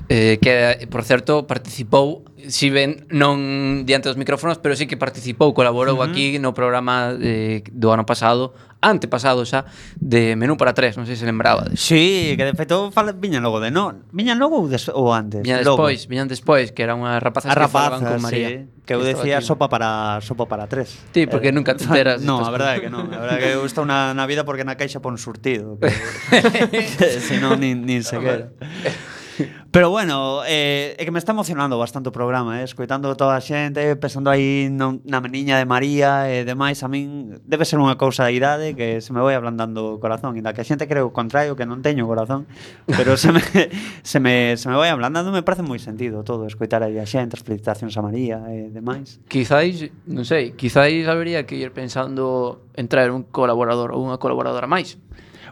Eh, que, por certo, participou, si ben non diante dos micrófonos, pero sí que participou, colaborou Ujú. aquí no programa eh, do ano pasado, antepasado xa, de Menú para tres, non sei se lembrabades. Sí, que de feito fala, viñan logo de no, viñan logo ou, des, ou antes? Viñan Logo. despois, viñan despois, que eran unhas rapazas A que falaban rapazas, con María. sí, que eu estaba decía aquí. sopa para sopa para tres. Sí, porque nunca te enteras No, destas a verdade cosas. que non, a verdade que eu estou na, na vida porque na caixa pon surtido, que, que se non nin, nin sequera. Pero bueno, eh, é que me está emocionando bastante o programa, eh, escoitando toda a xente, pensando aí no, na meniña de María e demais, a min debe ser unha cousa da idade que se me vai ablandando o corazón, e da que a xente cree o contrario, que non teño corazón, pero se me, se me, se me vai ablandando, me parece moi sentido todo, escoitar aí a xente, as felicitacións a María e demais. Quizáis, non sei, quizáis habería que ir pensando en traer un colaborador ou unha colaboradora máis.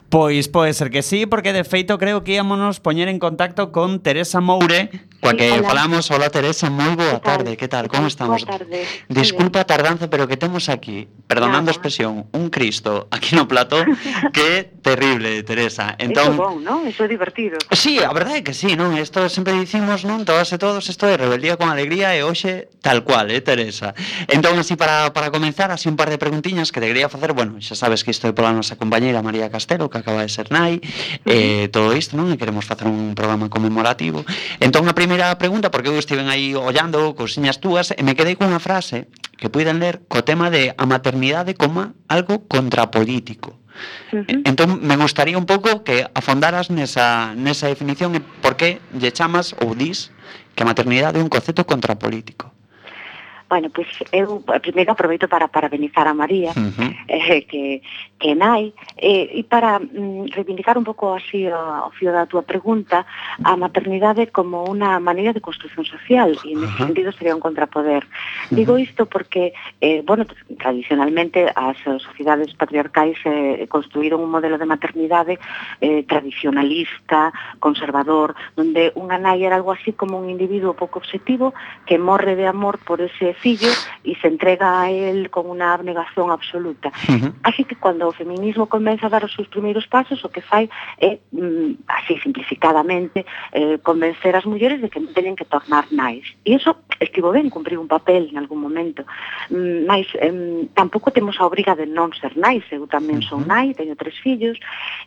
Pois pode ser que sí, porque de feito creo que íamonos poñer en contacto con Teresa Moure, coa que Hola. falamos. Hola Teresa, moi boa tarde, que tal, como estamos? Boa tarde. Disculpa a tardanza, pero que temos aquí, perdonando a expresión, un Cristo aquí no plató que é terrible, Teresa. Entón, Eso é bom, non? Eso é divertido. Sí, a verdade é que sí, non? Isto sempre dicimos, non? Todas e todos, isto é rebeldía con alegría e hoxe tal cual, eh, Teresa? Entón, así para, para comenzar, así un par de preguntiñas que te quería facer, bueno, xa sabes que isto é pola nosa compañeira María Castelo, que acaba de ser nai, eh, todo isto, non? E queremos facer un programa conmemorativo. Entón, a primeira pregunta, porque eu estiven aí ollando cousiñas túas e me quedei cunha frase que puiden ler co tema de a maternidade como algo contrapolítico. Uh-huh. Entón, me gustaría un pouco que afondaras nesa, nesa definición e por que lle chamas ou dis que a maternidade é un concepto contrapolítico. Bueno, pois pues, eu primeiro aproveito para parabenizar a María, uh-huh. eh, que, que nai, eh, e para mm, reivindicar un pouco así ao fío da túa pregunta, a maternidade como unha maneira de construción social, e nesse uh-huh. sentido sería un contrapoder. Uh-huh. Digo isto porque, eh, bueno, tradicionalmente as sociedades patriarcais eh, construíron un modelo de maternidade eh, tradicionalista, conservador, onde unha nai era algo así como un individuo pouco objetivo que morre de amor por ese fillo e se entrega a él con unha abnegación absoluta. Uh-huh. Así que cando o feminismo comeza a dar os seus primeiros pasos, o que fai é, mm, así simplificadamente, eh, convencer as mulleres de que non teñen que tornar nais. E iso estivo ben, cumprir un papel en algún momento. Mm, mas eh, tampouco temos a obriga de non ser nais. Eu tamén son nai, teño tres fillos,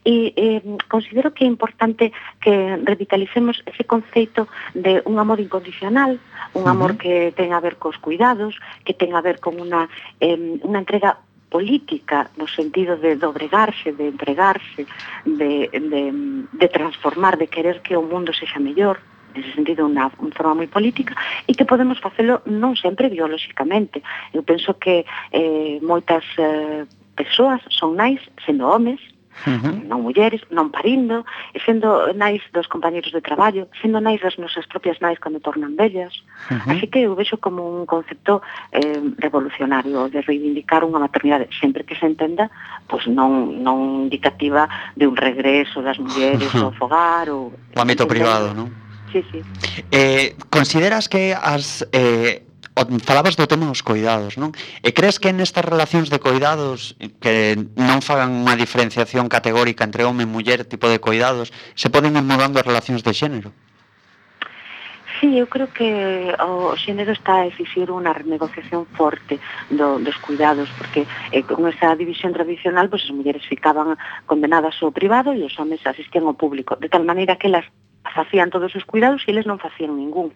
e eh, considero que é importante que revitalicemos ese conceito de un amor incondicional, un amor uh-huh. que ten a ver cos cuidados, que ten a ver con unha, eh, unha entrega política no sentido de dobregarse, de entregarse, de, de, de transformar, de querer que o mundo sexa mellor, nese sentido unha, unha forma moi política, e que podemos facelo non sempre biolóxicamente. Eu penso que eh, moitas eh, persoas son nais sendo homes, Uh-huh. non mulleres, non parindo, e sendo nais dos compañeros de traballo, sendo nais das nosas propias nais cando tornan bellas. Uh-huh. Así que eu vexo como un concepto eh, revolucionario de reivindicar unha maternidade, sempre que se entenda, pois non, non indicativa de un regreso das mulleres uh-huh. ao fogar ou o ámbito privado, non? Sí, sí. Eh, consideras que as eh, falabas do tema dos coidados, non? E crees que nestas relacións de coidados que non fagan unha diferenciación categórica entre home e muller tipo de coidados, se poden ir mudando as relacións de xénero? Sí, eu creo que o xénero está a exixir unha renegociación forte do, dos cuidados, porque eh, con esa división tradicional, pues, as mulleres ficaban condenadas ao privado e os homes asistían ao público, de tal maneira que elas facían todos os cuidados e eles non facían ningún.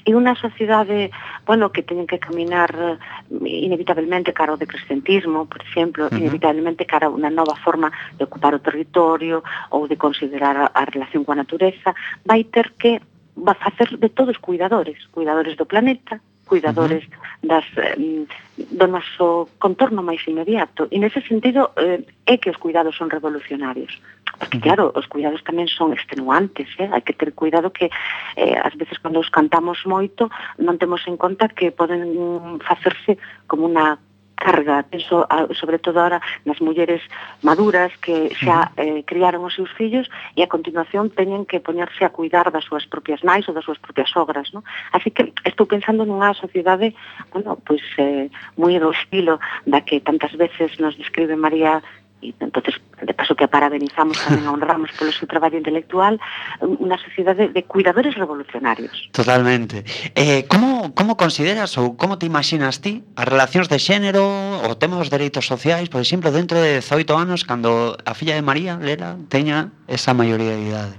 E unha sociedade, bueno, que teñen que caminar inevitablemente cara ao decrescentismo, por exemplo, uh-huh. inevitablemente cara a unha nova forma de ocupar o territorio ou de considerar a, a relación coa natureza, vai ter que va a facer de todos cuidadores, cuidadores do planeta, cuidadores uh-huh. das, eh, do noso contorno máis inmediato. E nese sentido eh, é que os cuidados son revolucionarios. Porque, claro, os cuidados tamén son extenuantes, eh? Hai que ter cuidado que eh, ás veces cando os cantamos moito non temos en conta que poden facerse como unha carga, penso a, sobre todo ahora nas mulleres maduras que xa eh, criaron os seus fillos e a continuación teñen que poñerse a cuidar das súas propias nais ou das súas propias sogras, ¿no? Así que estou pensando nunha sociedade, bueno, pois eh, moi do estilo da que tantas veces nos describe María, e entonces de paso que a parabenizamos tamén a honramos polo seu traballo intelectual, unha sociedade de cuidadores revolucionarios. Totalmente. Eh, como, como consideras ou como te imaginas ti as relacións de xénero, o tema dos dereitos sociais, por exemplo, dentro de dezoito anos, cando a filla de María, Lela, teña esa maioría de idade?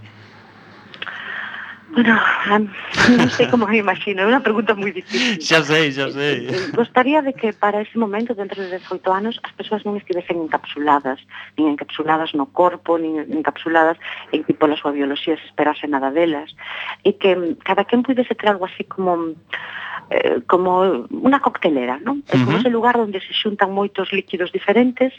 Bueno, um, non sei como me imagino, é unha pregunta moi difícil. Xa sei, xa sei. Gostaría de que para ese momento, dentro de dezoito anos, as persoas non estivesen encapsuladas, nin encapsuladas no corpo, nin encapsuladas en que pola súa bioloxía se esperase nada delas, e que cada quen pudese ter algo así como eh, como unha coctelera, non? É como Ujú. ese lugar onde se xuntan moitos líquidos diferentes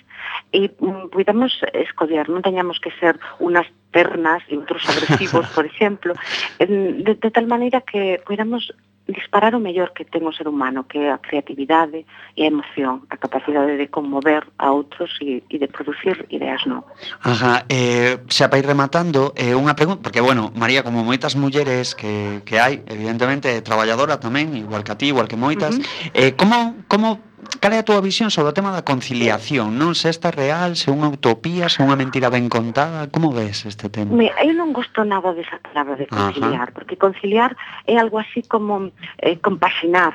e mm, podamos escoller, non teñamos que ser unas ternas e outros agresivos, por exemplo, en- de, de tal maneira que podamos disparar o mellor que ten o ser humano, que é a creatividade e a emoción, a capacidade de conmover a outros e, e de producir ideas novas. Ajá, eh, xa para ir rematando, eh, unha pregunta, porque, bueno, María, como moitas mulleres que, que hai, evidentemente, é traballadora tamén, igual que a ti, igual que moitas, Ujú. eh, como, como, cal é a túa visión sobre o tema da conciliación, non? Se esta é real, se é unha utopía, se é unha mentira ben contada, como ves este tema? Me, eu non gosto nada desa palabra de conciliar, porque conciliar é algo así como eh, compaxinar,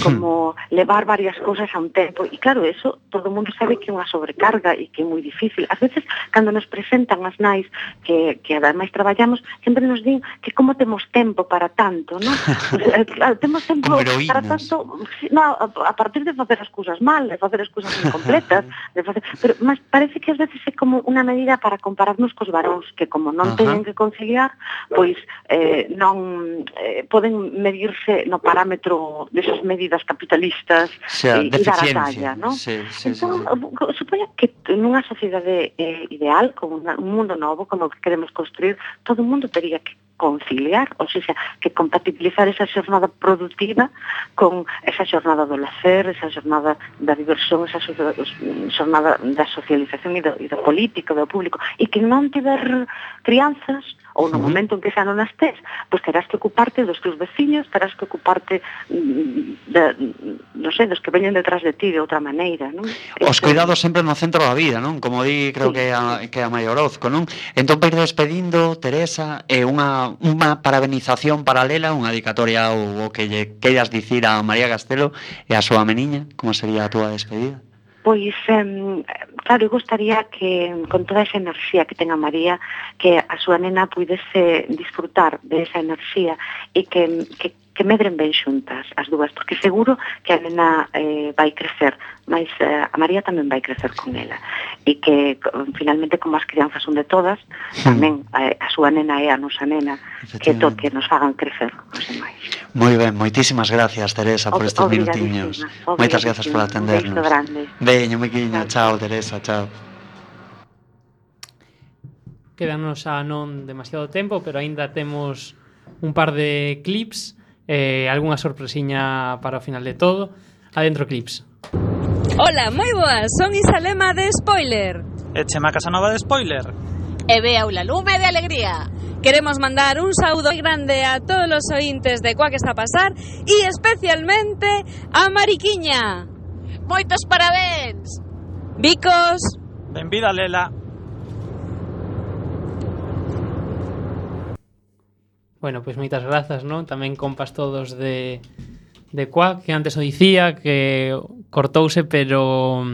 como levar varias cousas a un tempo, e claro, eso todo o mundo sabe que é unha sobrecarga e que é moi difícil. Ás veces, cando nos presentan as nais que, que ademais traballamos, sempre nos din que como temos tempo para tanto, non? Pues, eh, claro, temos tempo Como heroínas. para tanto, sí, no, a, a partir de facer as cousas mal, de facer as cousas incompletas, de facer, pero mas parece que ás veces é como unha medida para compararnos cos varóns, que como non Ajá. teñen que conciliar, pois eh, non eh, poden medirse no parámetro desas medidas capitalistas O sea, e, e dar a deficiencia. talla, non? Sí, sí, sí, Entón, sí. supoño que nunha sociedade eh, ideal, como unha- un mundo novo, como o que queremos construir, todo o mundo teria que conciliar, ou seja, que compatibilizar esa xornada productiva con esa xornada do lacer, esa xornada da diversión, esa xo- xornada da socialización e do, e do político, do público, e que non tiver crianzas, ou no Ujú. momento en que xa non as tes, pois terás que ocuparte dos teus veciños, terás que ocuparte mm, de, non sei, dos que veñen detrás de ti de outra maneira, non? Os Este- cuidados sempre no centro da vida, non? Como di, creo Sí. que a, que a María Orozco, non? Entón, para ir despedindo, Teresa, é unha, unha parabenización paralela, unha dedicatoria ou o que lle queiras dicir a María Castelo e a súa meniña, como sería a túa despedida? Pois, em, claro, eu gostaría que con toda esa enerxía que ten a María, que a súa nena pudese disfrutar de esa enerxía e que, que, que medren ben xuntas as dúas, porque seguro que a nena eh, vai crecer, mas eh, a María tamén vai crecer con ela e que co- finalmente como as crianzas son de todas, tamén a, a súa nena é a nosa nena, que to que nos fagan crecer os demais. Moi ben, moitísimas gracias, Teresa, por Ob- estes minutiños. obrigadísima, Moitas grazas por obrigadísima. Un atendernos. beizo grande. Veño, Miquiña, chao, Teresa, chao. Quédanos a non demasiado tempo, pero aínda temos un par de clips, eh, algunha sorpresiña para o final de todo. Adentro clips. Ola, moi boas, son Isalema de Spoiler. E Chema Casanova de Spoiler. E Bea Lume de Alegría. Queremos mandar un saúdo moi grande a todos os ointes de Cuá que está a pasar e especialmente a Mariquiña. Moitos parabéns. Bicos. Benvida, Lela. Bueno, pois moitas grazas, non? Tamén compas todos de de Cuac, que antes o dicía que cortouse, pero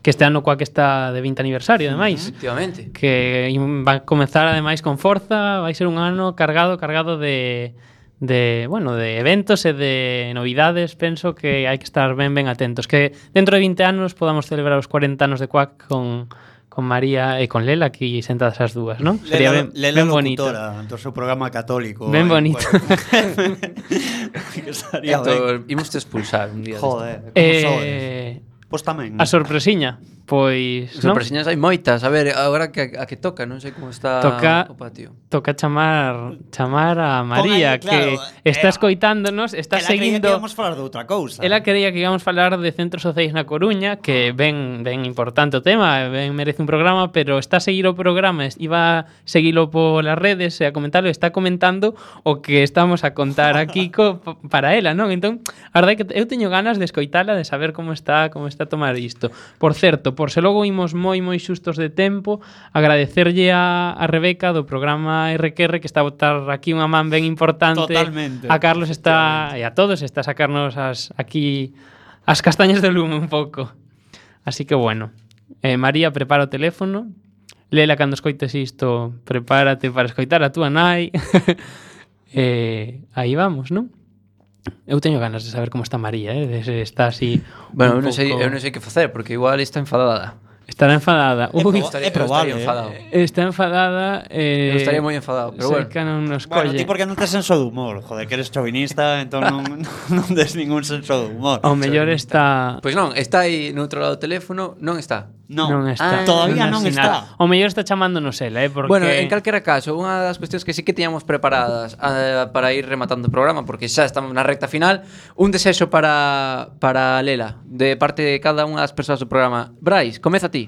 que este ano Cuac está de vinte aniversario, ademais. Efectivamente. Que va a comezar ademais con forza, vai ser un ano cargado, cargado de de, bueno, de eventos e de novidades. Penso que hai que estar ben ben atentos, que dentro de vinte anos podamos celebrar os cuarenta anos de Cuac con con María e con Lela aquí sentadas as dúas, non? Sería ben, Lela ben bonito. locutora do seu programa católico. Ben aí, bonito. bueno. Que estaría ben. Imos te expulsar un día. Joder, como Eh, sodes. Pois tamén. A sorpresiña, pois, non? Sorpresiñas hai moitas. A ver, agora que a que toca, non sei como está Toca o patio. toca chamar chamar a María, aí, claro, que está escoitándonos, está Ela creía seguindo. que íamos falar de outra cousa. Ela quería que íamos falar de centros sociais na Coruña, que ben ben importante o tema, ben merece un programa, pero está a seguir o programa, iba a seguilo polas redes e a comentarlo, está comentando o que estamos a contar aquí co, para ela, non? Entón, a verdade é que eu teño ganas de escoitala, de saber como está, como está a tomar isto. Por certo, por se logo imos moi moi xustos de tempo, agradecerlle a, a Rebeca do programa R Q R que está a botar aquí unha man ben importante. Totalmente. A Carlos está e a todos está a sacarnos as aquí as castañas de lume un pouco. Así que bueno, eh, María, prepara o teléfono. Lela, cando escoites isto, prepárate para escoitar a túa nai. eh, aí vamos, non? Eu teño ganas de saber como está María, eh? De se está así. Bueno, eu un non sei, pouco- eu non sei que facer, porque igual está enfadada. Estará enfadada. É Ui, proba- é probable, estaría eh. enfadado. Está enfadada. Eh, Eu estaría moi enfadado, pero sei bueno. que non nos Bueno, colle. ti porque non tes senso de humor, joder, que eres chauvinista, entón non, non des ningún senso de humor. Ao mellor está... Pois non, está aí no outro lado do teléfono, non está. Non, non está. todavía non sinala. está. O mellor está chamándonos ela, eh, porque Bueno, en calquera caso, unha das cuestións que sí que tiñamos preparadas uh, para ir rematando o programa, porque xa estamos na recta final, un desexo para, para Lela, de parte de cada unha das persoas do programa. Brais, comeza ti.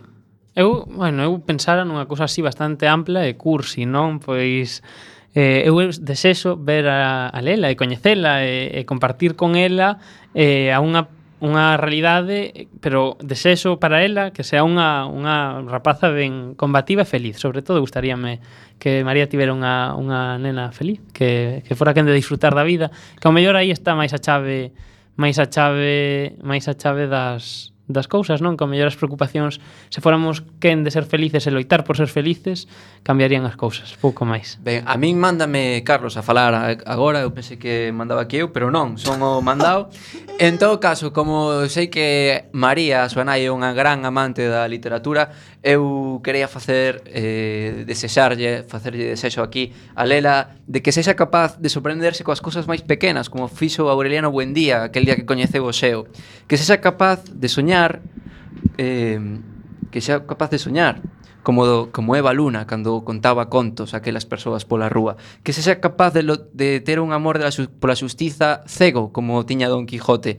Eu, bueno, eu pensara nunha cousa así bastante ampla e cursi, non? Pois eh, eu desexo ver a, a Lela e coñecela e, e compartir con ela eh, a unha unha realidade, pero desexo para ela que sea unha, unha rapaza ben combativa e feliz. Sobre todo, gustaríame que María tivera unha, unha nena feliz, que, que fora quen de disfrutar da vida, que ao mellor aí está máis a chave máis a chave máis a chave das das cousas, non? Que ao mellor as preocupacións, se fóramos quen de ser felices e loitar por ser felices, cambiarían as cousas, pouco máis. Ben, a min mándame Carlos a falar a- agora, eu pensei que mandaba aquí eu, pero non, son o mandado. En todo caso, como sei que María, a súa nai, é unha gran amante da literatura, eu quería facer, eh, desexarlle, facerlle desexo aquí a Lela, de que sexa capaz de sorprenderse coas cousas máis pequenas, como fixo Aureliano Buendía, aquel día que coñeceu o Xeo. Que sexa capaz de soñar, eh, que sexa capaz de soñar, como, do, como Eva Luna cando contaba contos a aquelas persoas pola rúa, que se sea capaz de, lo, de ter un amor de la, pola xustiza cego como tiña Don Quijote.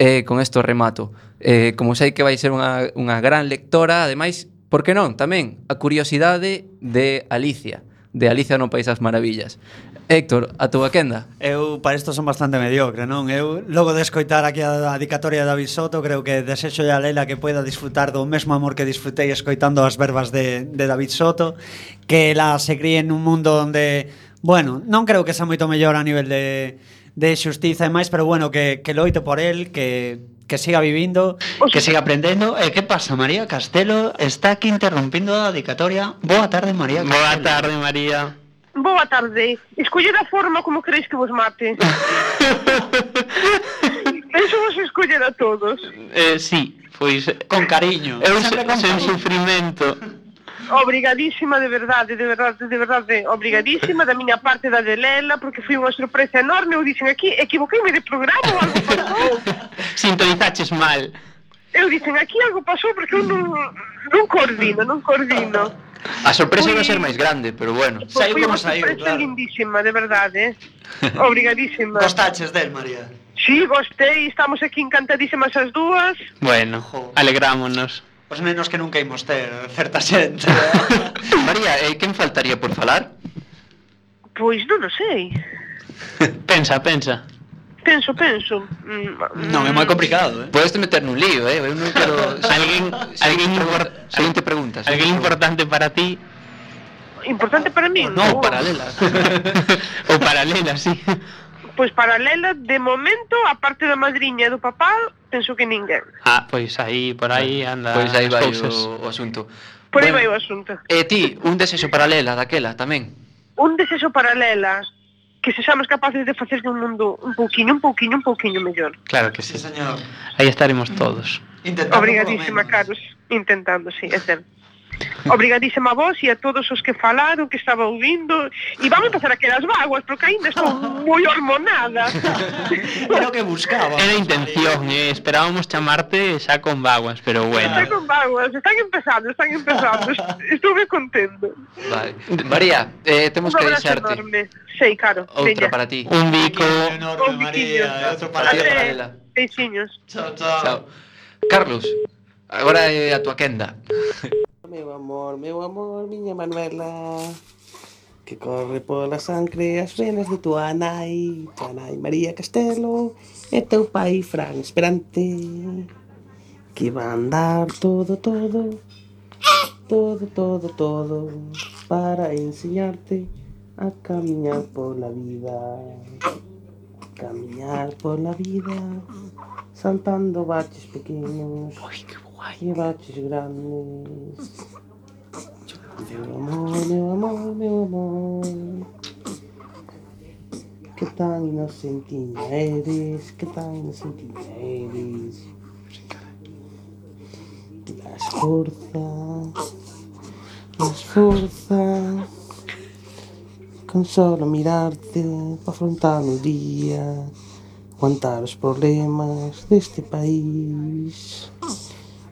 Eh, con isto remato, eh, como sei que vai ser unha, unha gran lectora, ademais, por que non, tamén a curiosidade de Alicia, de Alicia no País das Maravillas. Héctor, a túa quenda? Eu para isto son bastante mediocre, non? Eu logo de escoitar aquí a dedicatoria de David Soto, creo que desexo a Lela que poida disfrutar do mesmo amor que disfrutei escoitando as verbas de, de David Soto, que ela se críe en un mundo onde, bueno, non creo que sea moito mellor a nivel de, de xustiza e máis, pero bueno, que, que loite por el, que que siga vivindo, que siga aprendendo. E que pasa, María Castelo está aquí interrompindo a dedicatoria. Boa tarde, María Castelo. Boa tarde, María. Boa tarde. Escoller a forma como queréis que vos mate. Eso vos escoller a todos. Eh, sí, pois con cariño. Eu Sempre se, con sen cariño. sufrimento. Obrigadísima, de verdade, de verdade, de verdade, obrigadísima da miña parte da de Lela, porque foi unha sorpresa enorme. Eu dixen aquí, equivoqueime de programa ou algo pasou. Sintonizaches mal. Eu dixen aquí algo pasou porque eu non, non coordino, non coordino. A sorpresa vai ser máis grande, pero bueno. Pois foi unha sorpresa lindísima, de verdade. Obrigadísima. Gostaches del, María? Sí, gostei, estamos aquí encantadísimas as dúas. Bueno, alegrámonos. Os nenos que nunca imos ter certa xente. María, eh, quen faltaría por falar? Pois non o sei. Pensa, pensa. Penso, penso. Mm, Non, é moi complicado, eh? Podes te meter nun lío, eh? Eu non quero... Alguén, alguén, import, Seguinte pregunta. alguén importante para ti Importante para min? No, paralela. Ou paralela, sí. Pois paralela, de momento, a parte da madriña e do papá, penso que ninguén. Ah, pois aí, por aí anda Pois aí as vai cousas. o, o asunto. Por aí Bueno, vai o asunto. E ti, un desexo paralela daquela tamén? Un desexo paralela, que sexamos capaces de facer un mundo un pouquiño, un pouquiño, un pouquiño mellor. Claro que sí. Sí, señor. Aí estaremos todos. Obrigadísima, Carlos. Intentando, sí, é certo. Obrigadísima a vos e a todos os que falaron, que estaba ouvindo. E vamos empezar aquelas vaguas, porque ainda estou moi hormonada. Era o que buscaba. Era intención, eh? Esperábamos chamarte xa con vaguas, pero bueno. Están con vaguas, están empezando, están empezando. Estuve contento. Vale. María, eh, temos Un que abrazo deixarte. enorme. Sei, caro. Outra veña. para ti. Un bico. Un biquiño. Outro para ti, Até. paralela. Beixiños. Chao, chao. Chao. Carlos, agora é a tua quenda. Meu amor, meu amor, miña Manuela, que corre pola sangre as venas de tua nai, tua nai María Castelo e teu pai Fran Esperante, que van dar todo, todo, todo, todo, todo, para enseñarte a camiñar pola vida, camiñar pola vida, saltando baches pequeños e baches grandes. Meu amor, meu amor, meu amor. que tan inocentinha eres, que tan inocentinha eres. Las fuerzas, las fuerzas, con solo mirarte, para afrontar o día, aguantar os problemas deste país,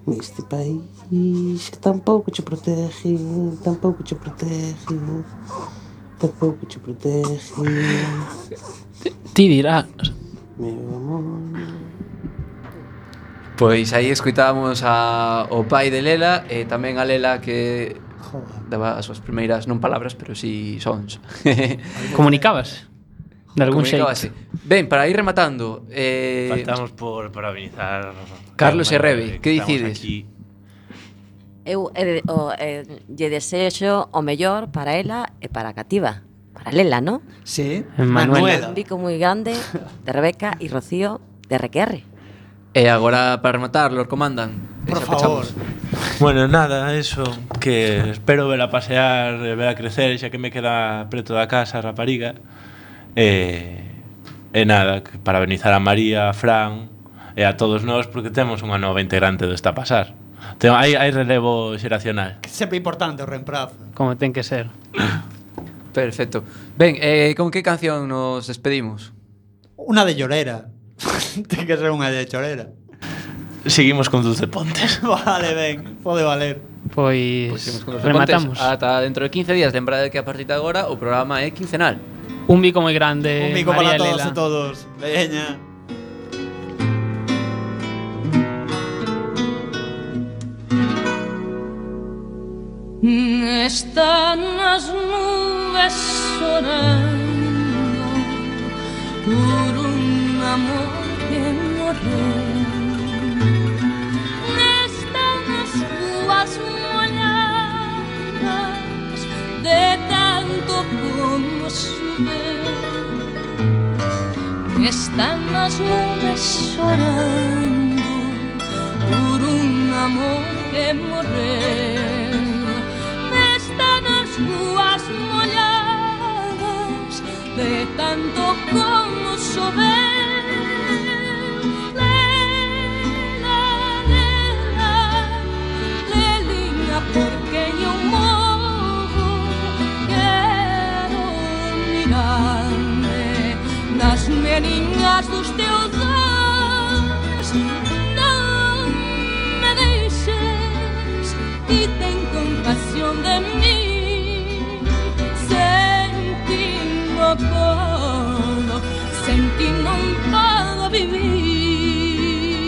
deste país que tampouco che protege, tampouco che protege, tampouco che protege. Ti dirás. Meu amor. Pois aí escoitábamos a, o pai de Lela e tamén a Lela que daba as súas primeiras, non palabras, pero si sons. Comunicabas? De algún xeito. Comunicábase. Ben, para ir rematando, eh, Faltamos por parabenizar Carlos e Rebe, que dicides? Eu eh, o, eh, lle desexo o mellor para ela e para a cativa. Para Lela, ¿no? Sí, Manuela. Un bico moi grande de Rebeca e Rocío de R Q R. E agora para rematar, Lord Comandan. Por favor. Bueno, nada, eso, que espero vela pasear, vela crecer, xa que me queda preto da casa, rapariga. E, e nada, que parabenizar a María, a Fran e a todos nós porque temos unha nova integrante do Está a Pasar. Ten, hai, hai relevo xeracional. Sempre importante o reemplazo. Como ten que ser. Perfecto. Ben, eh, con que canción nos despedimos? Unha de Llorera. Ten que ser unha de Chorera. Seguimos con Dulce Pontes. Vale, ben, pode valer. Pois, Pois con rematamos. Ata dentro de quince días, lembrade que a partir de agora o programa é quincenal. Un bico moi grande, Un bico María para todos Lela. e todos. Veña. Están as nubes chorando por un amor que morreu. Están as ruas molladas de tanto como choveu. Están as nubes chorando por un amor que morreu. Ruas molladas de tanto como chover.